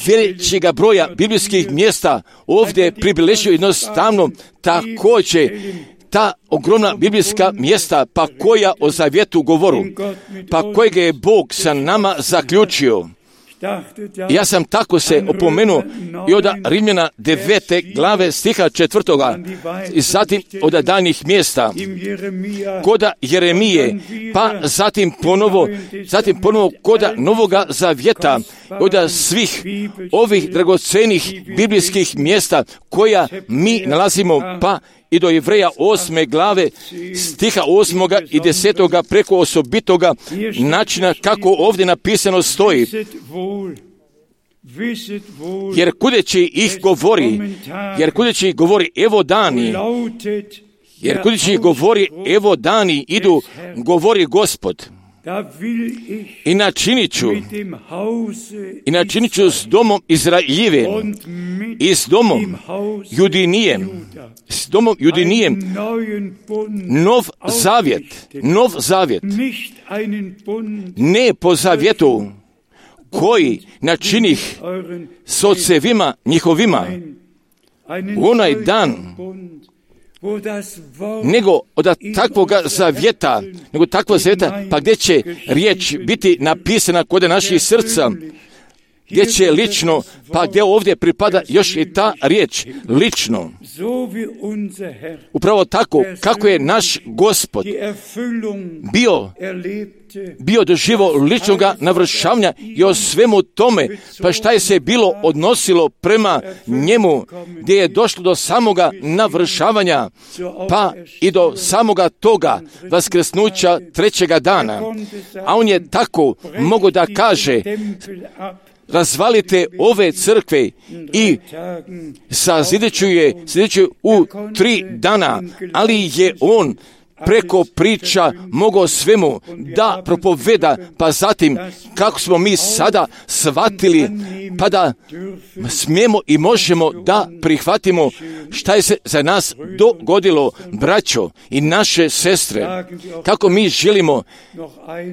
većega broja biblijskih mjesta ovdje pribilježio jednostavno također ta ogromna biblijska mjesta, pa koja o zavjetu govoru, pa kojega je Bog sa nama zaključio. Ja sam tako se opomenuo i od Rimljana 9. glave stiha 4. i zatim od daljnjih mjesta koda Jeremije, pa zatim ponovo koda Novoga zavjeta, od svih ovih dragocenih biblijskih mjesta koja mi nalazimo, pa i do Jevreja 8. glave stiha 8. i 10. preko osobitoga načina kako ovdje napisano stoji. Jer kudeći ih govori evo dani idu, govori Gospod. I načinit ću s domom Izraeljevim i s domom Judinijem nov zavjet, ne po zavjetu koji načinih s ocevima njihovima u onaj dan, nego od takvoga zavjeta, pa gdje će riječ biti napisana kod naših srca, gdje će lično, pa gdje ovdje pripada još i ta riječ, lično. Upravo tako, kako je naš Gospod bio doživo ličnoga navršavanja i o svemu tome, pa šta je se bilo odnosilo prema njemu, gdje je došlo do samoga navršavanja, pa i do samoga toga vaskrsnuća trećega dana. A on je tako mogao da kaže, razvalite ove crkve i sazideću u 3 dana, ali je on preko priča mogao svemu da propoveda, pa zatim kako smo mi sada shvatili, pa da smijemo i možemo da prihvatimo šta je se za nas dogodilo, braćo i naše sestre, kako mi želimo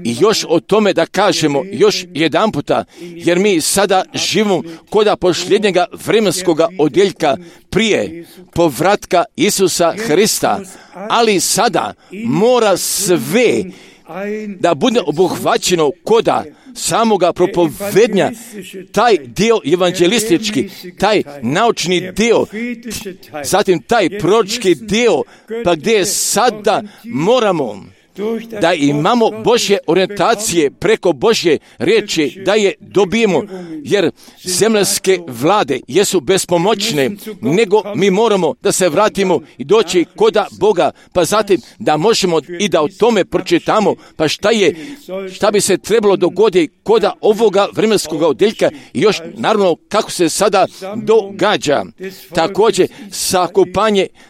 i još o tome da kažemo još jedan puta, jer mi sada živimo koda posljednjega vremenskoga odjeljka prije povratka Isusa Hrista, ali sada mora sve da bude obuhvaćeno koda samoga propovednja, taj dio evanđelistički, taj naučni dio, zatim taj proročki dio, pa gdje sada moramo da imamo Božje orijentacije preko Božje riječi, da je dobijemo, jer zemaljske vlade jesu bespomoćne, nego mi moramo da se vratimo i doći koda Boga, pa zatim da možemo i da o tome pročitamo, pa šta bi se trebalo dogoditi koda ovoga vremenskog odjeljka i još naravno kako se sada događa. Također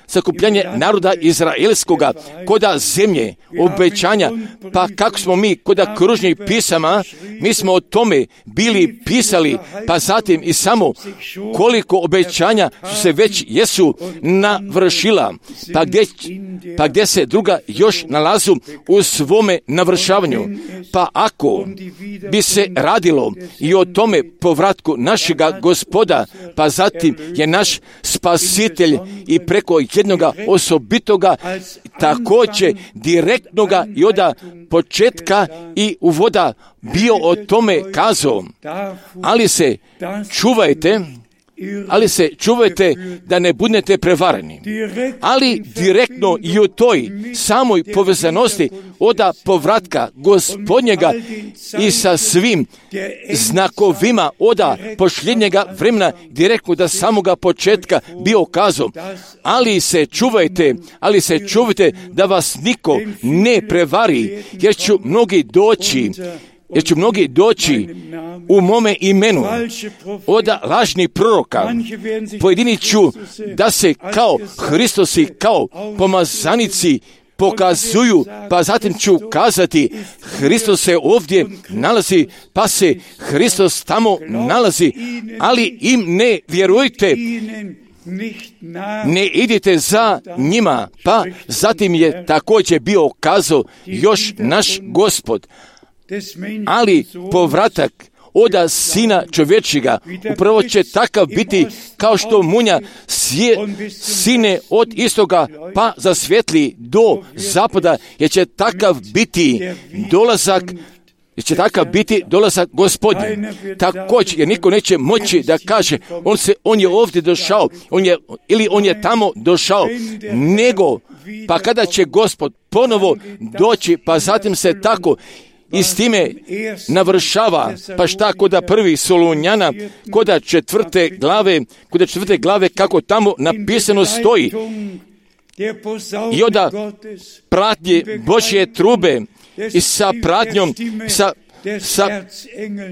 sakupljanje naroda izraelskoga koda zemlje, obećanja, pa kako smo mi koda kružnih pisama, mi smo o tome bili pisali, pa zatim i samo koliko obećanja su se već jesu navršila, pa gdje se druga još nalazu u svome navršavanju. Pa ako bi se radilo i o tome povratku našega Gospoda, pa zatim je naš spasitelj i preko jednoga osobitoga također direktnoga i od početka i uvoda bio o tome kazao. Ali se čuvajte da ne budete prevareni. Ali direktno i u toj samoj povezanosti od povratka Gospodnjega i sa svim znakovima od posljednjega vremena direktno da samoga početka bio kazao. Ali se čuvajte da vas niko ne prevari, jer će mnogi doći u mome imenu od lažnih proroka. Pojedini ću da se kao Hristosi, kao pomazanici pokazuju, pa zatim ću kazati Hristos se ovdje nalazi, pa se Hristos tamo nalazi, ali im ne vjerujte, ne idite za njima. Pa zatim je također bio kazao još naš Gospod. Ali povratak od Sina čovječjega upravo će takav biti kao što munja sine od istoga pa zasvjetli do zapada, jer će takav biti dolazak Gospodnji. Također, jer niko neće moći da kaže on je ovdje došao, on je tamo došao, nego pa kada će Gospod ponovo doći, pa zatim se tako i s time navršava, pa šta koda prvi Solunjana, koda četvrte glave, kako tamo napisano stoji. I onda pratnje Božje trube i sa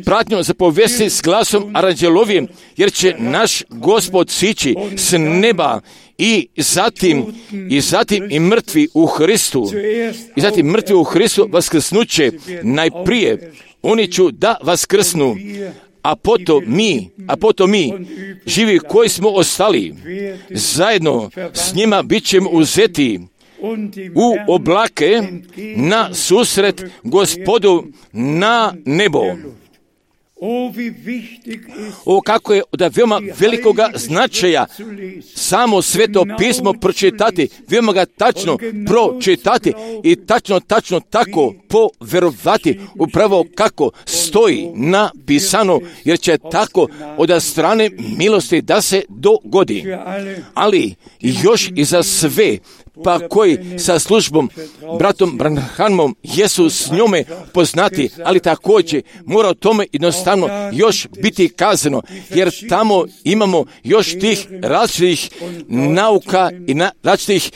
pratnjom zapovesti s glasom aranđelovim, jer će naš Gospod sići s neba i zatim i mrtvi u Hristu. I zatim mrtvi u Hristu vaskrsnuće najprije. Oni ću da vaskrsnu, a potom mi, živi koji smo ostali, zajedno s njima bit ćemo uzeti u oblake na susret Gospodu na nebo. O kako je od veoma velikoga značaja samo Sveto pismo pročitati, veoma ga tačno pročitati i tačno tako poverovati upravo kako stoji napisano, jer će tako od strane milosti da se dogodi. Ali još i za sve pa koji sa službom bratom Branhamom jesu s njome poznati, ali također mora o tome jednostavno još biti kazano, jer tamo imamo još tih različitih nauka i različitih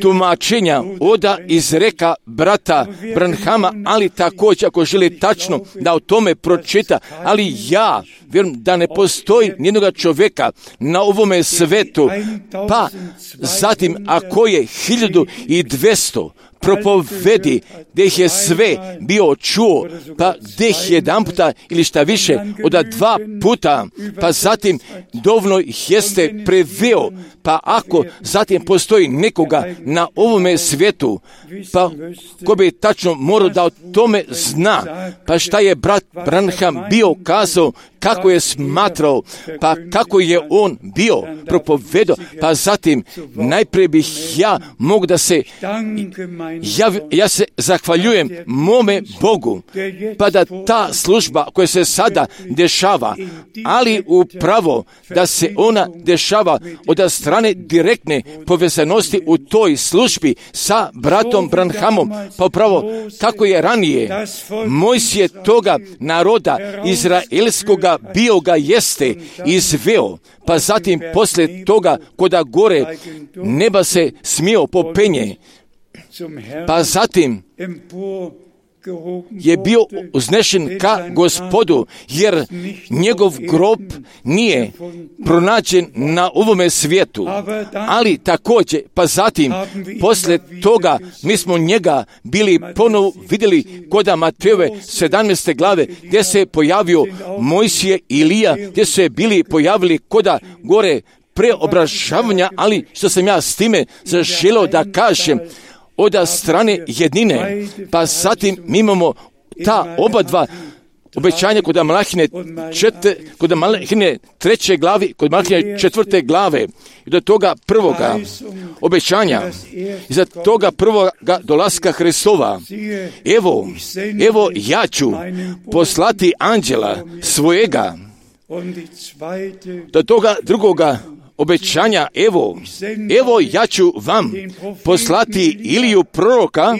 tumačenja od izreka brata Branhama, ali također ako želi tačno da o tome pročita, ali ja vjerujem da ne postoji nijednoga čovjeka na ovome svetu, pa zatim ako je 1200 propovedi gdje ih je sve bio čuo, pa gdje ih jedan puta ili šta više od 2 puta, pa zatim dovoljno ih jeste preveo, pa ako zatim postoji nekoga na ovome svijetu, pa ko bi tačno morao da o tome zna, pa šta je brat Branham bio kazao, kako je smatrao, pa kako je on bio propovedao, pa zatim najprije bih ja mogu da se ja se zahvaljujem mome Bogu, pa da ta služba koja se sada dešava, ali upravo da se ona dešava od strane direktne povezanosti u toj službi sa bratom Branhamom, pa upravo kako je ranije Mojsije toga naroda izraelskoga bio ga jeste izveo, pa zatim poslije toga koda gore neba se smio popenje, pa zatim je bio uznešen ka Gospodu, jer njegov grob nije pronađen na ovome svijetu. Ali također, pa zatim, poslije toga, mi smo njega bili ponovo vidjeli koda Matejove 17. glave, gdje se pojavio Mojsije i Ilija, gdje su se bili pojavili koda gore preobražavanja, ali što sam ja s time zaželio da kažem, od strane jednine, pa zatim mi imamo ta oba dva obećanja kod Malahine 3. glavi, kod Malahine 4. glave, i do toga prvoga obećanja, iza toga prvoga dolaska Hristova. Evo ja ću poslati anđela svojega. Do toga drugoga obećanja, evo ja ću vam poslati Iliju proroka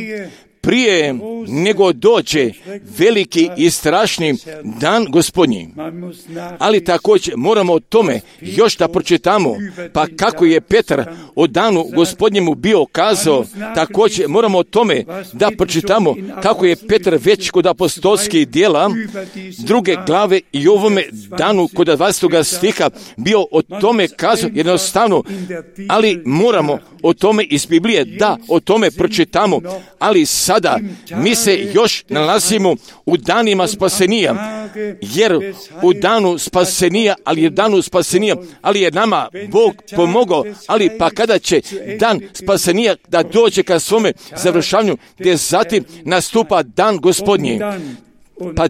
prije nego dođe veliki i strašni dan Gospodnji. Ali također moramo o tome još da pročitamo, pa kako je Petar o danu Gospodnjemu bio kazao, također moramo o tome da pročitamo kako je Petar već kod apostolskih djela 2. glave i ovome danu kod 20. stiha bio o tome kazao jednostavno, ali moramo o tome iz Biblije da o tome pročitamo, ali sada mi se još nalazimo u danima spasenija, jer u danu spasenija, ali je nama Bog pomogao, ali pa kada će dan spasenija da dođe ka svome završavanju, gdje zatim nastupa dan Gospodnji. Pa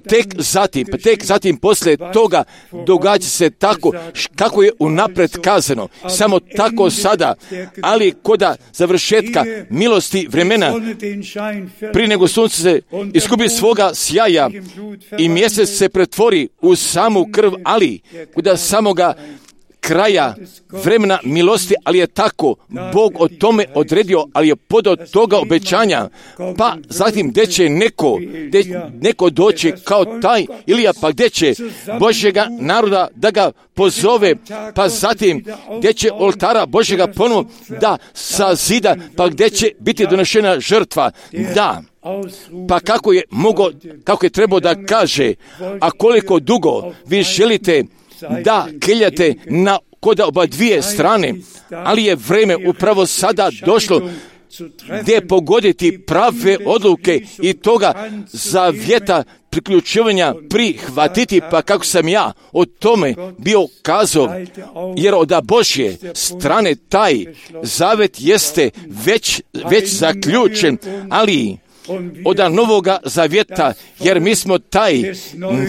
tek zatim poslije toga događa se tako kako je unaprijed kazano, samo tako sada, ali koda završetka milosti vremena, prije nego sunce se iskupi svoga sjaja i mjesec se pretvori u samu krv, ali koda samoga kraja vremena milosti, ali je tako Bog o tome odredio, ali je podao toga obećanja, pa zatim gdje će neko doći kao taj Ilija, pa gdje će Božjega naroda da ga pozove, pa zatim gdje će oltara Božjega ponovo da sazida, pa gdje će biti donešena žrtva, da. Pa kako je trebao da kaže, a koliko dugo vi želite da keljate kod oba dvije strane, ali je vrijeme upravo sada došlo gdje pogoditi prave odluke i toga zavjeta priključivanja prihvatiti, pa kako sam ja o tome bio kazao, jer od Božje strane taj zavet jeste već zaključen, ali od novoga zavjeta, jer mi smo taj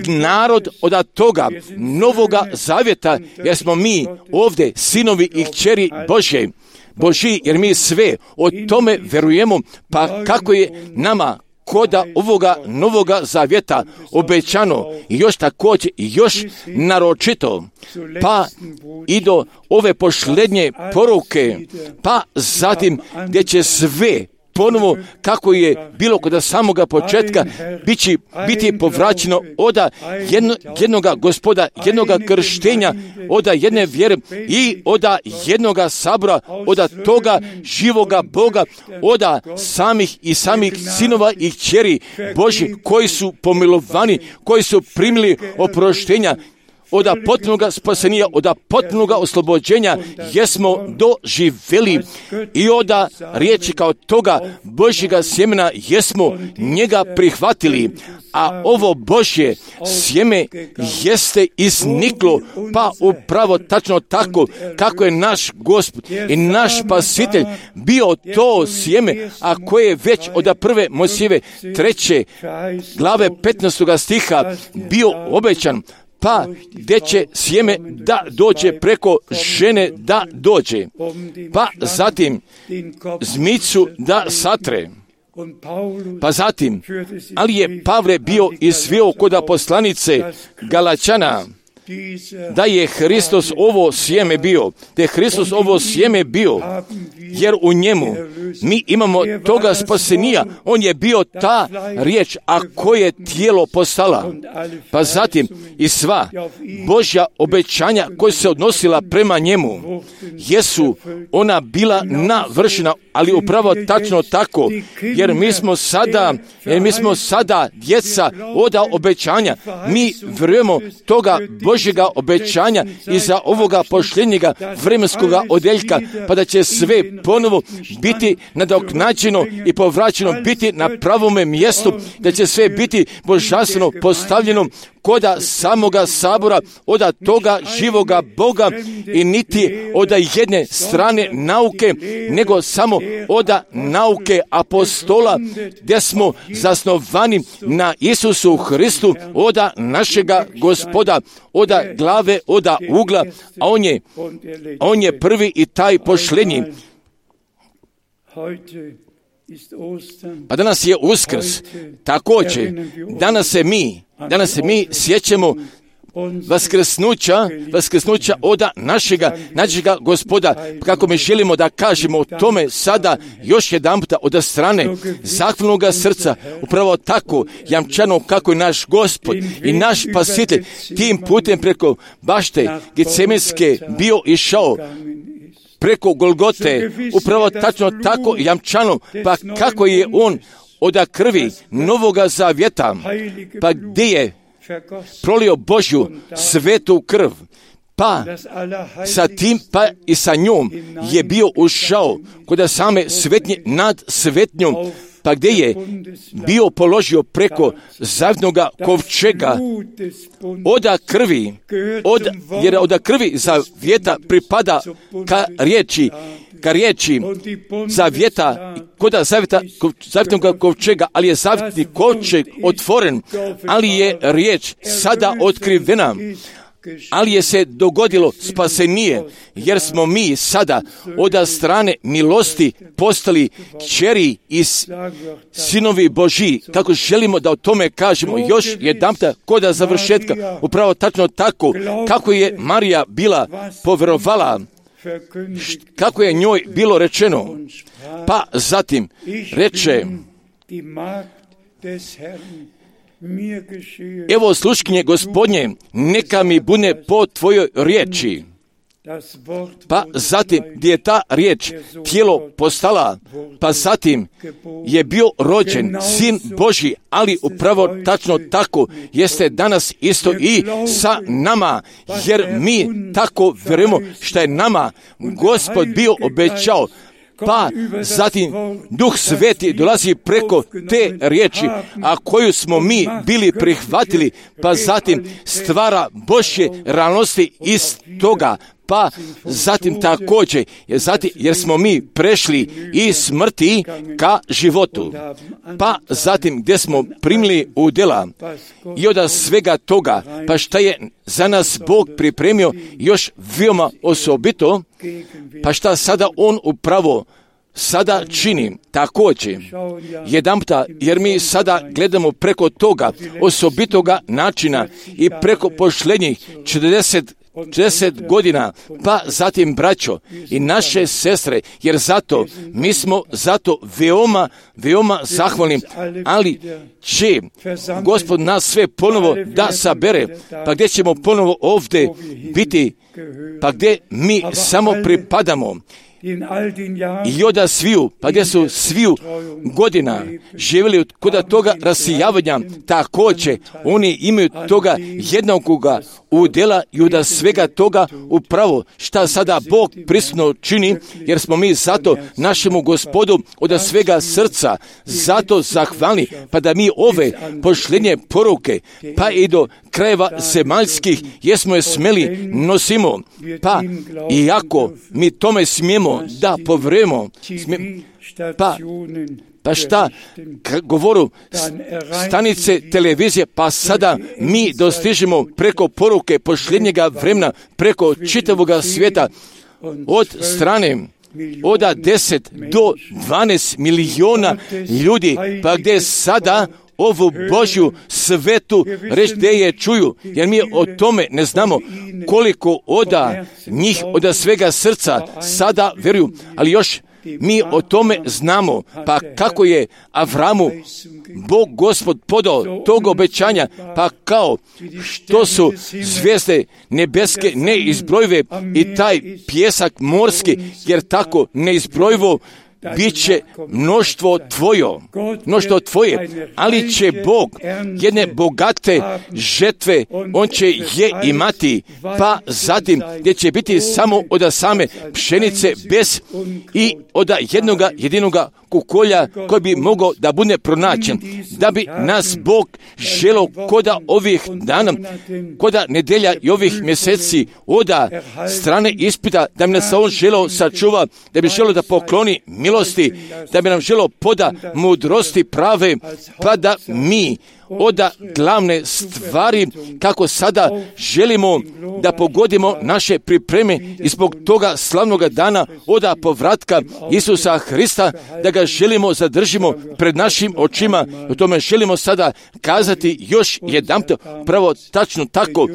narod od toga novoga zavjeta, jer smo mi ovdje sinovi i kćeri Božji, jer mi sve o tome verujemo, pa kako je nama koda ovoga novoga zavjeta obećano i još također i još naročito, pa i do ove posljednje poruke, pa zatim gdje će sve ponovo kako je bilo kod samoga početka biti povraćeno od jednoga Gospoda, jednoga krštenja, od jedne vjere i od jednoga sabora, od toga živoga Boga, od samih sinova i kćeri Božji koji su pomilovani, koji su primili oproštenja, od potpunoga spasenja, od potpunoga oslobođenja jesmo doživjeli i od riječi kao toga Božjega sjemena jesmo njega prihvatili, a ovo Božje sjeme jeste izniklo, pa upravo tačno tako kako je naš Gospod i naš Spasitelj bio to sjeme, a koje je već od prve Mojsijeve 3. glave 15. stiha bio obećan, pa gdje će sjeme da dođe preko žene da dođe, pa zatim zmicu da satre. Pa zatim, ali je Pavle bio izveo kod poslanice Galačana, da je Hristos ovo sjeme bio, da je Hristos ovo sjeme bio, jer u njemu mi imamo toga spasenija. On je bio ta riječ, a koje je tijelo postala. Pa zatim i sva Božja obećanja koja se odnosila prema njemu, jesu ona bila navršena, ali upravo tačno tako, jer mi smo sada djeca oda obećanja. Mi vjerujemo toga Božjega obećanja iza ovoga posljednjega vremenskoga odeljka, pa da će sve ponovo biti nadoknađeno i povraćeno, biti na pravome mjestu, da će sve biti božanstveno postavljeno koda samoga sabora, oda toga živoga Boga i niti oda jedne strane nauke, nego samo oda nauke apostola, gdje smo zasnovani na Isusu Hristu, oda našega Gospoda, oda glave, oda ugla, a on je prvi i taj posljednji. Pa danas je Uskrs, također, danas se mi sjećamo vaskrsnuća oda našega Gospoda, kako mi želimo da kažemo o tome sada još jedan puta od strane zahvalnoga srca, upravo tako jamčano kako je naš Gospod i naš Spasitelj tim putem preko bašte Getsemenske bio išao, preko Golgote, upravo tačno tako jamčano, pa kako je on od krvi Novoga Zavjeta, pa gdje je prolio Božju svetu krv, pa sa tim, pa i sa njom je bio ušao kod same svetnje nad svetnjom, pa gdje je bio položio preko zavjetnoga kovčega oda krvi, jer oda krvi zavjeta pripada ka riječi zavjeta, koda zavjetnoga kovčega, ali je zavjetni kovčeg otvoren, ali je riječ sada otkrivena. Ali je se dogodilo spasenije, jer smo mi sada od strane milosti postali kćeri i sinovi Božji. Kako želimo da o tome kažemo još jedanputa kod završetka, upravo tačno tako, kako je Marija bila povjerovala, kako je njoj bilo rečeno. Pa zatim reče: evo sluškinje Gospodnje, neka mi bude po tvojoj riječi. Pa zatim gdje je ta riječ tijelo postala, pa zatim je bio rođen Sin Božji, ali upravo tačno tako jeste danas isto i sa nama, jer mi tako vjerujemo što je nama Gospod bio obećao. Pa zatim Duh Sveti dolazi preko te riječi, a koju smo mi bili prihvatili, pa zatim stvara Božje realnosti iz toga. Pa zatim također, jer smo mi prešli iz smrti ka životu. Pa zatim gdje smo primili udjela i od svega toga, pa šta je za nas Bog pripremio još veoma osobito, pa šta sada On upravo sada čini također jedanputa, jer mi sada gledamo preko toga osobitoga načina i preko posljednjih 40 godina, pa zatim braćo i naše sestre, jer mi smo zato veoma zahvalni, ali će Gospod nas sve ponovo da sabere, pa gdje ćemo ponovo ovdje biti, pa gdje mi samo pripadamo. I od sviju, pa gdje su sviju godina živjeli kod toga rasijavanja, također oni imaju toga jednoga udjela i od svega toga upravo šta sada Bog prisutno čini, jer smo mi zato našemu Gospodu od svega srca zato zahvalni, pa da mi ove posljednje poruke, pa i do krajeva zemaljskih, jesmo je smeli nosimo, pa iako mi tome smijemo da povremo, pa šta govoru stanice televizije, pa sada mi dostižemo preko poruke posljednjega vremena, preko čitavoga svijeta od strane od 10 do 12 milijuna ljudi, pa gdje sada ovu Božju svetu reč gdje je čuju, jer mi o tome ne znamo koliko od njih od svega srca sada vjeruju, ali još mi o tome znamo, pa kako je Avramu Bog Gospod podao tog obećanja, pa kao što su zvijezde nebeske neizbrojive i taj pjesak morski, jer tako neizbrojivo bit će mnoštvo tvoje, ali će Bog jedne bogate žetve, on će je imati, pa zatim gdje će biti samo od same pšenice bez i od jedinoga kukolja koji bi mogao da bude pronađen, da bi nas Bog želo koda ovih dana, koda nedelja i ovih mjeseci od strane ispita, da bi nas on želo sačuva, da bi želo da pokloni milosti, da bi nam želo poda mudrosti prave, pa da mi od glavne stvari kako sada želimo da pogodimo naše pripreme i zbog toga slavnog dana od povratka Isusa Hrista, da ga želimo zadržimo pred našim očima. O tome želimo sada kazati još jedanput, pravo tačno tako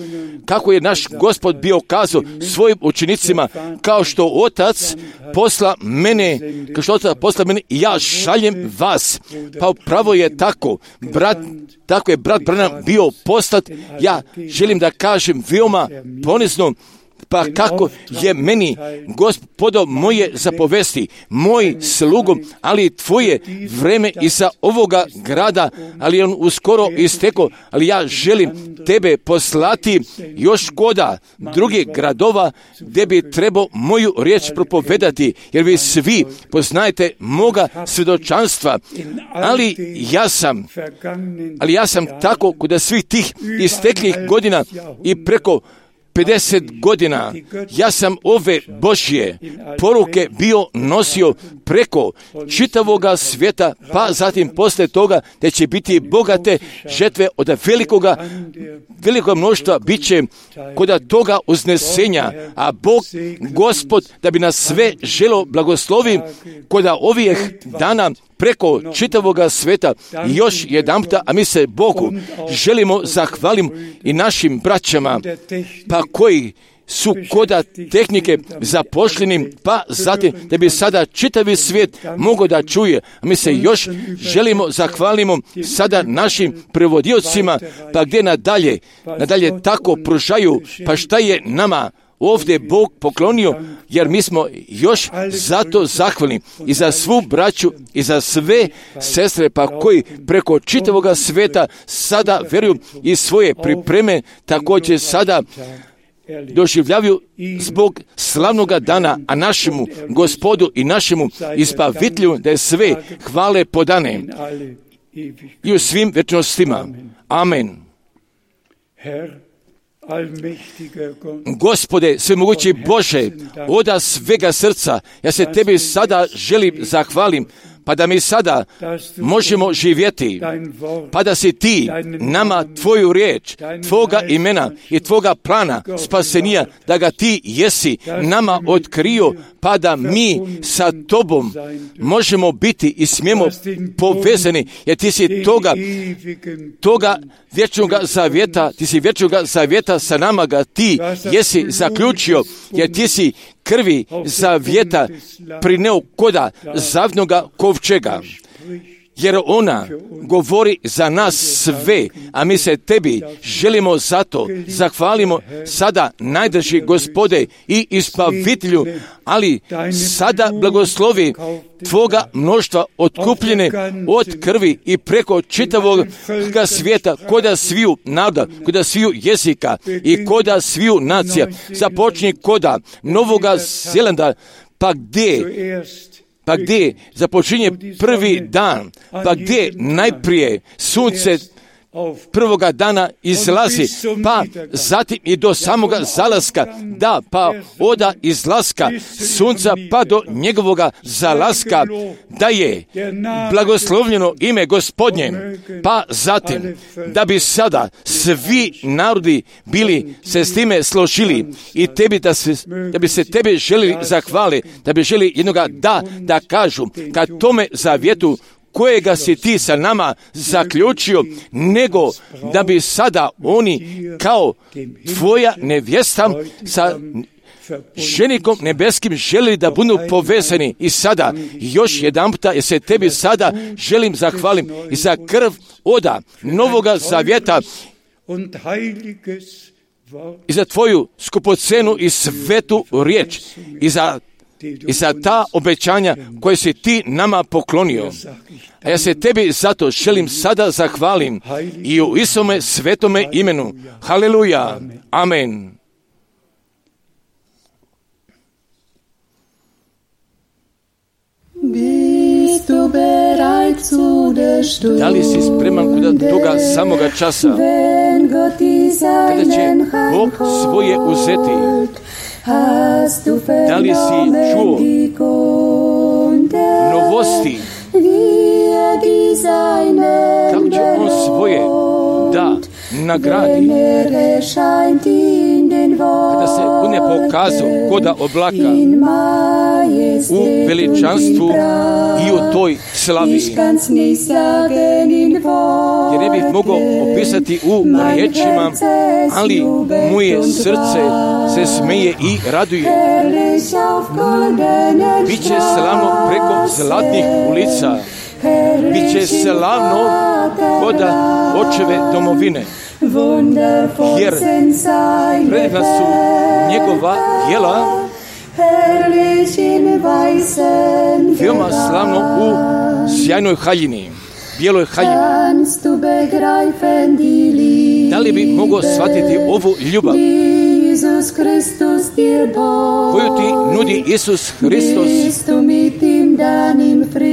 kako je naš Gospod bio kazao svojim učenicima, kao što Otac posla mene, ja šaljem vas. Pa upravo je tako, tako je brat Branham bio poslat. Ja želim da kažem veoma ponizno, pa kako je meni Gospodo moje zapovesti, moj slugom, ali tvoje vreme iza ovoga grada, ali on uskoro istekao, ali ja želim tebe poslati još koda drugih gradova gdje bi trebao moju riječ propovedati, jer vi svi poznajete moga svjedočanstva, ali ja sam tako kod svih tih isteklih godina i preko 50 godina, ja sam ove Božje poruke bio nosio preko čitavoga svijeta, pa zatim poslije toga da će biti bogate žetve od velikog mnoštva bit će kod toga uznesenja, a Bog, Gospod, da bi nas sve želo blagoslovi kod ovih dana preko čitavoga sveta. I još jedanputa, a mi se Bogu želimo zahvalim i našim braćama, pa koji su koda tehnike zapošljeni, pa zatim da bi sada čitavi svijet mogao da čuje. A mi se još želimo zahvalimo sada našim prevodiocima, pa gdje nadalje tako pružaju, pa šta je nama ovdje Bog poklonio, jer mi smo još zato zahvalni i za svu braću i za sve sestre, pa koji preko čitavoga sveta sada vjeruju i svoje pripreme također sada doživljavaju zbog slavnoga dana, a našemu Gospodu i našemu Izbavitelju da je sve hvale podane i u svim vječnostima. Amen. Gospode, svemogući Bože, od svega srca, ja se tebi sada želim zahvalim, pa da mi sada možemo živjeti, pa da si ti nama tvoju riječ, tvoga imena i tvoga plana spasenija, da ga ti jesi nama otkrio, pa da mi sa tobom možemo biti i smijemo povezani, jer ti si toga vječnoga zavjeta, ti si vječnoga zavjeta sa nama ga ti jesi zaključio, jer ti si krvi zavjeta prineo koda zavnoga kovčega, jer ona govori za nas sve, a mi se tebi želimo zato zahvalimo sada najdrži Gospode i Izbavitelju, ali sada blagoslovi tvoga mnoštva otkupljene od krvi i preko čitavog svijeta, koda sviju naroda, koda sviju jezika i koda sviju nacija. Započni koda Novoga Zelanda, pa gdje započinje prvi dan, pa gdje najprije sunce prvoga dana izlazi, pa zatim i do samoga zalaska, da, pa oda izlaska sunca pa do njegovoga zalaska, da je blagoslovljeno ime Gospodnje, pa zatim da bi sada svi narodi bili se s time složili i tebi da bi se tebi želili zahvali, da bi želi jednoga da kažu ka tome zavjetu kojega si ti sa nama zaključio, nego da bi sada oni kao tvoja nevjesta sa ženikom nebeskim želili da budu povezani. I sada još jedanputa jer se tebi sada želim zahvalim i za krv oda novoga zavjeta i za tvoju skupocenu i svetu riječ i za ta obećanja koje si ti nama poklonio. A ja se tebi zato želim sada zahvalim i u Isome svetome imenu. Haleluja. Amen. Da li si spreman kod toga samoga časa, kada će Bog svoje uzeti? Da li si čuo novosti? Kako će on svoje da nagradi? Kada se bude pokazao koda oblaka u veličanstvu i u toj slavi. Jer ne bih mogao opisati u riječima, ali moje srce se smeje i raduje. Biće slavno preko zlatnih ulica. Biće slavno koda očeve domovine. Jer predivna su njegova djela, veoma slavno u sjajnoj haljini, bijeloj haljini. Da li bi mogao shvatiti ovu ljubav koju ti nudi Isus Hristos?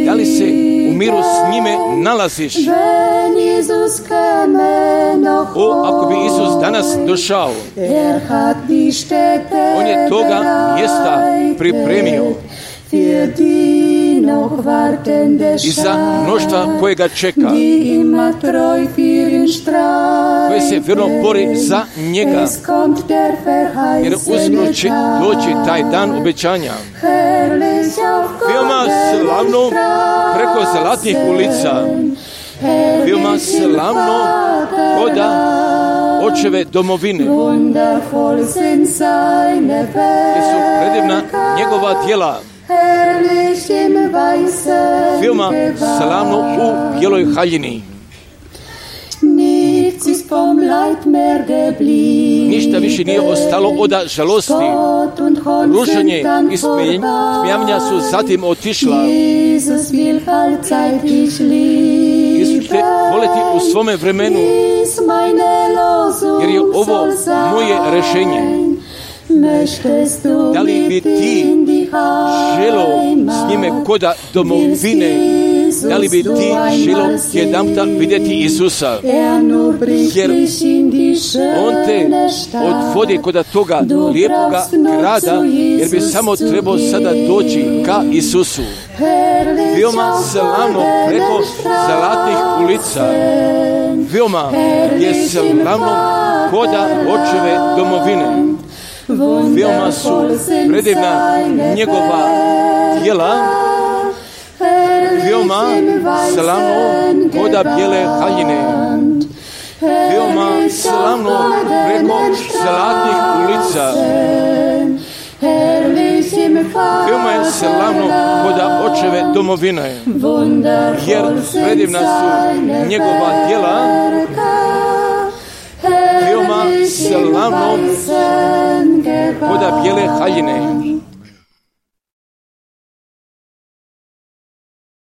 Da li se u miru s njime nalaziš? Ako bi Isus danas došao, on je toga mjesta pripremio i za mnoštva koje ga čeka, koje se vjerno bori za njega, jer uskoro će doći taj dan obećanja. Veoma slavno preko zlatnih ulica, veoma slavno koda očeve domovine, gdje su predivna njegova djela, veoma slavno u bijeloj haljini. Ništa više nije ostalo od žalosti. Rušenje i smijavanja su zatim otišla. Isus te voleti u svome vremenu, jer je ovo moje rješenje. Da li bi ti želo s njime koda domovine? Da li bi ti želo jedanputa vidjeti Isusa? Jer on te odvodi koda toga lijepoga grada, jer bi samo trebao sada doći ka Isusu. Veoma slavno preko zlatnih ulica, veoma je slavno koda očeve domovine. Veoma su predivna njegova djela, veoma slavno koda bijele haljine, veoma slavno preko zlatnih ulica, veoma je slavno koda očeve domovine, jer predivna su njegova djela, veoma slavno koda bijele haljine.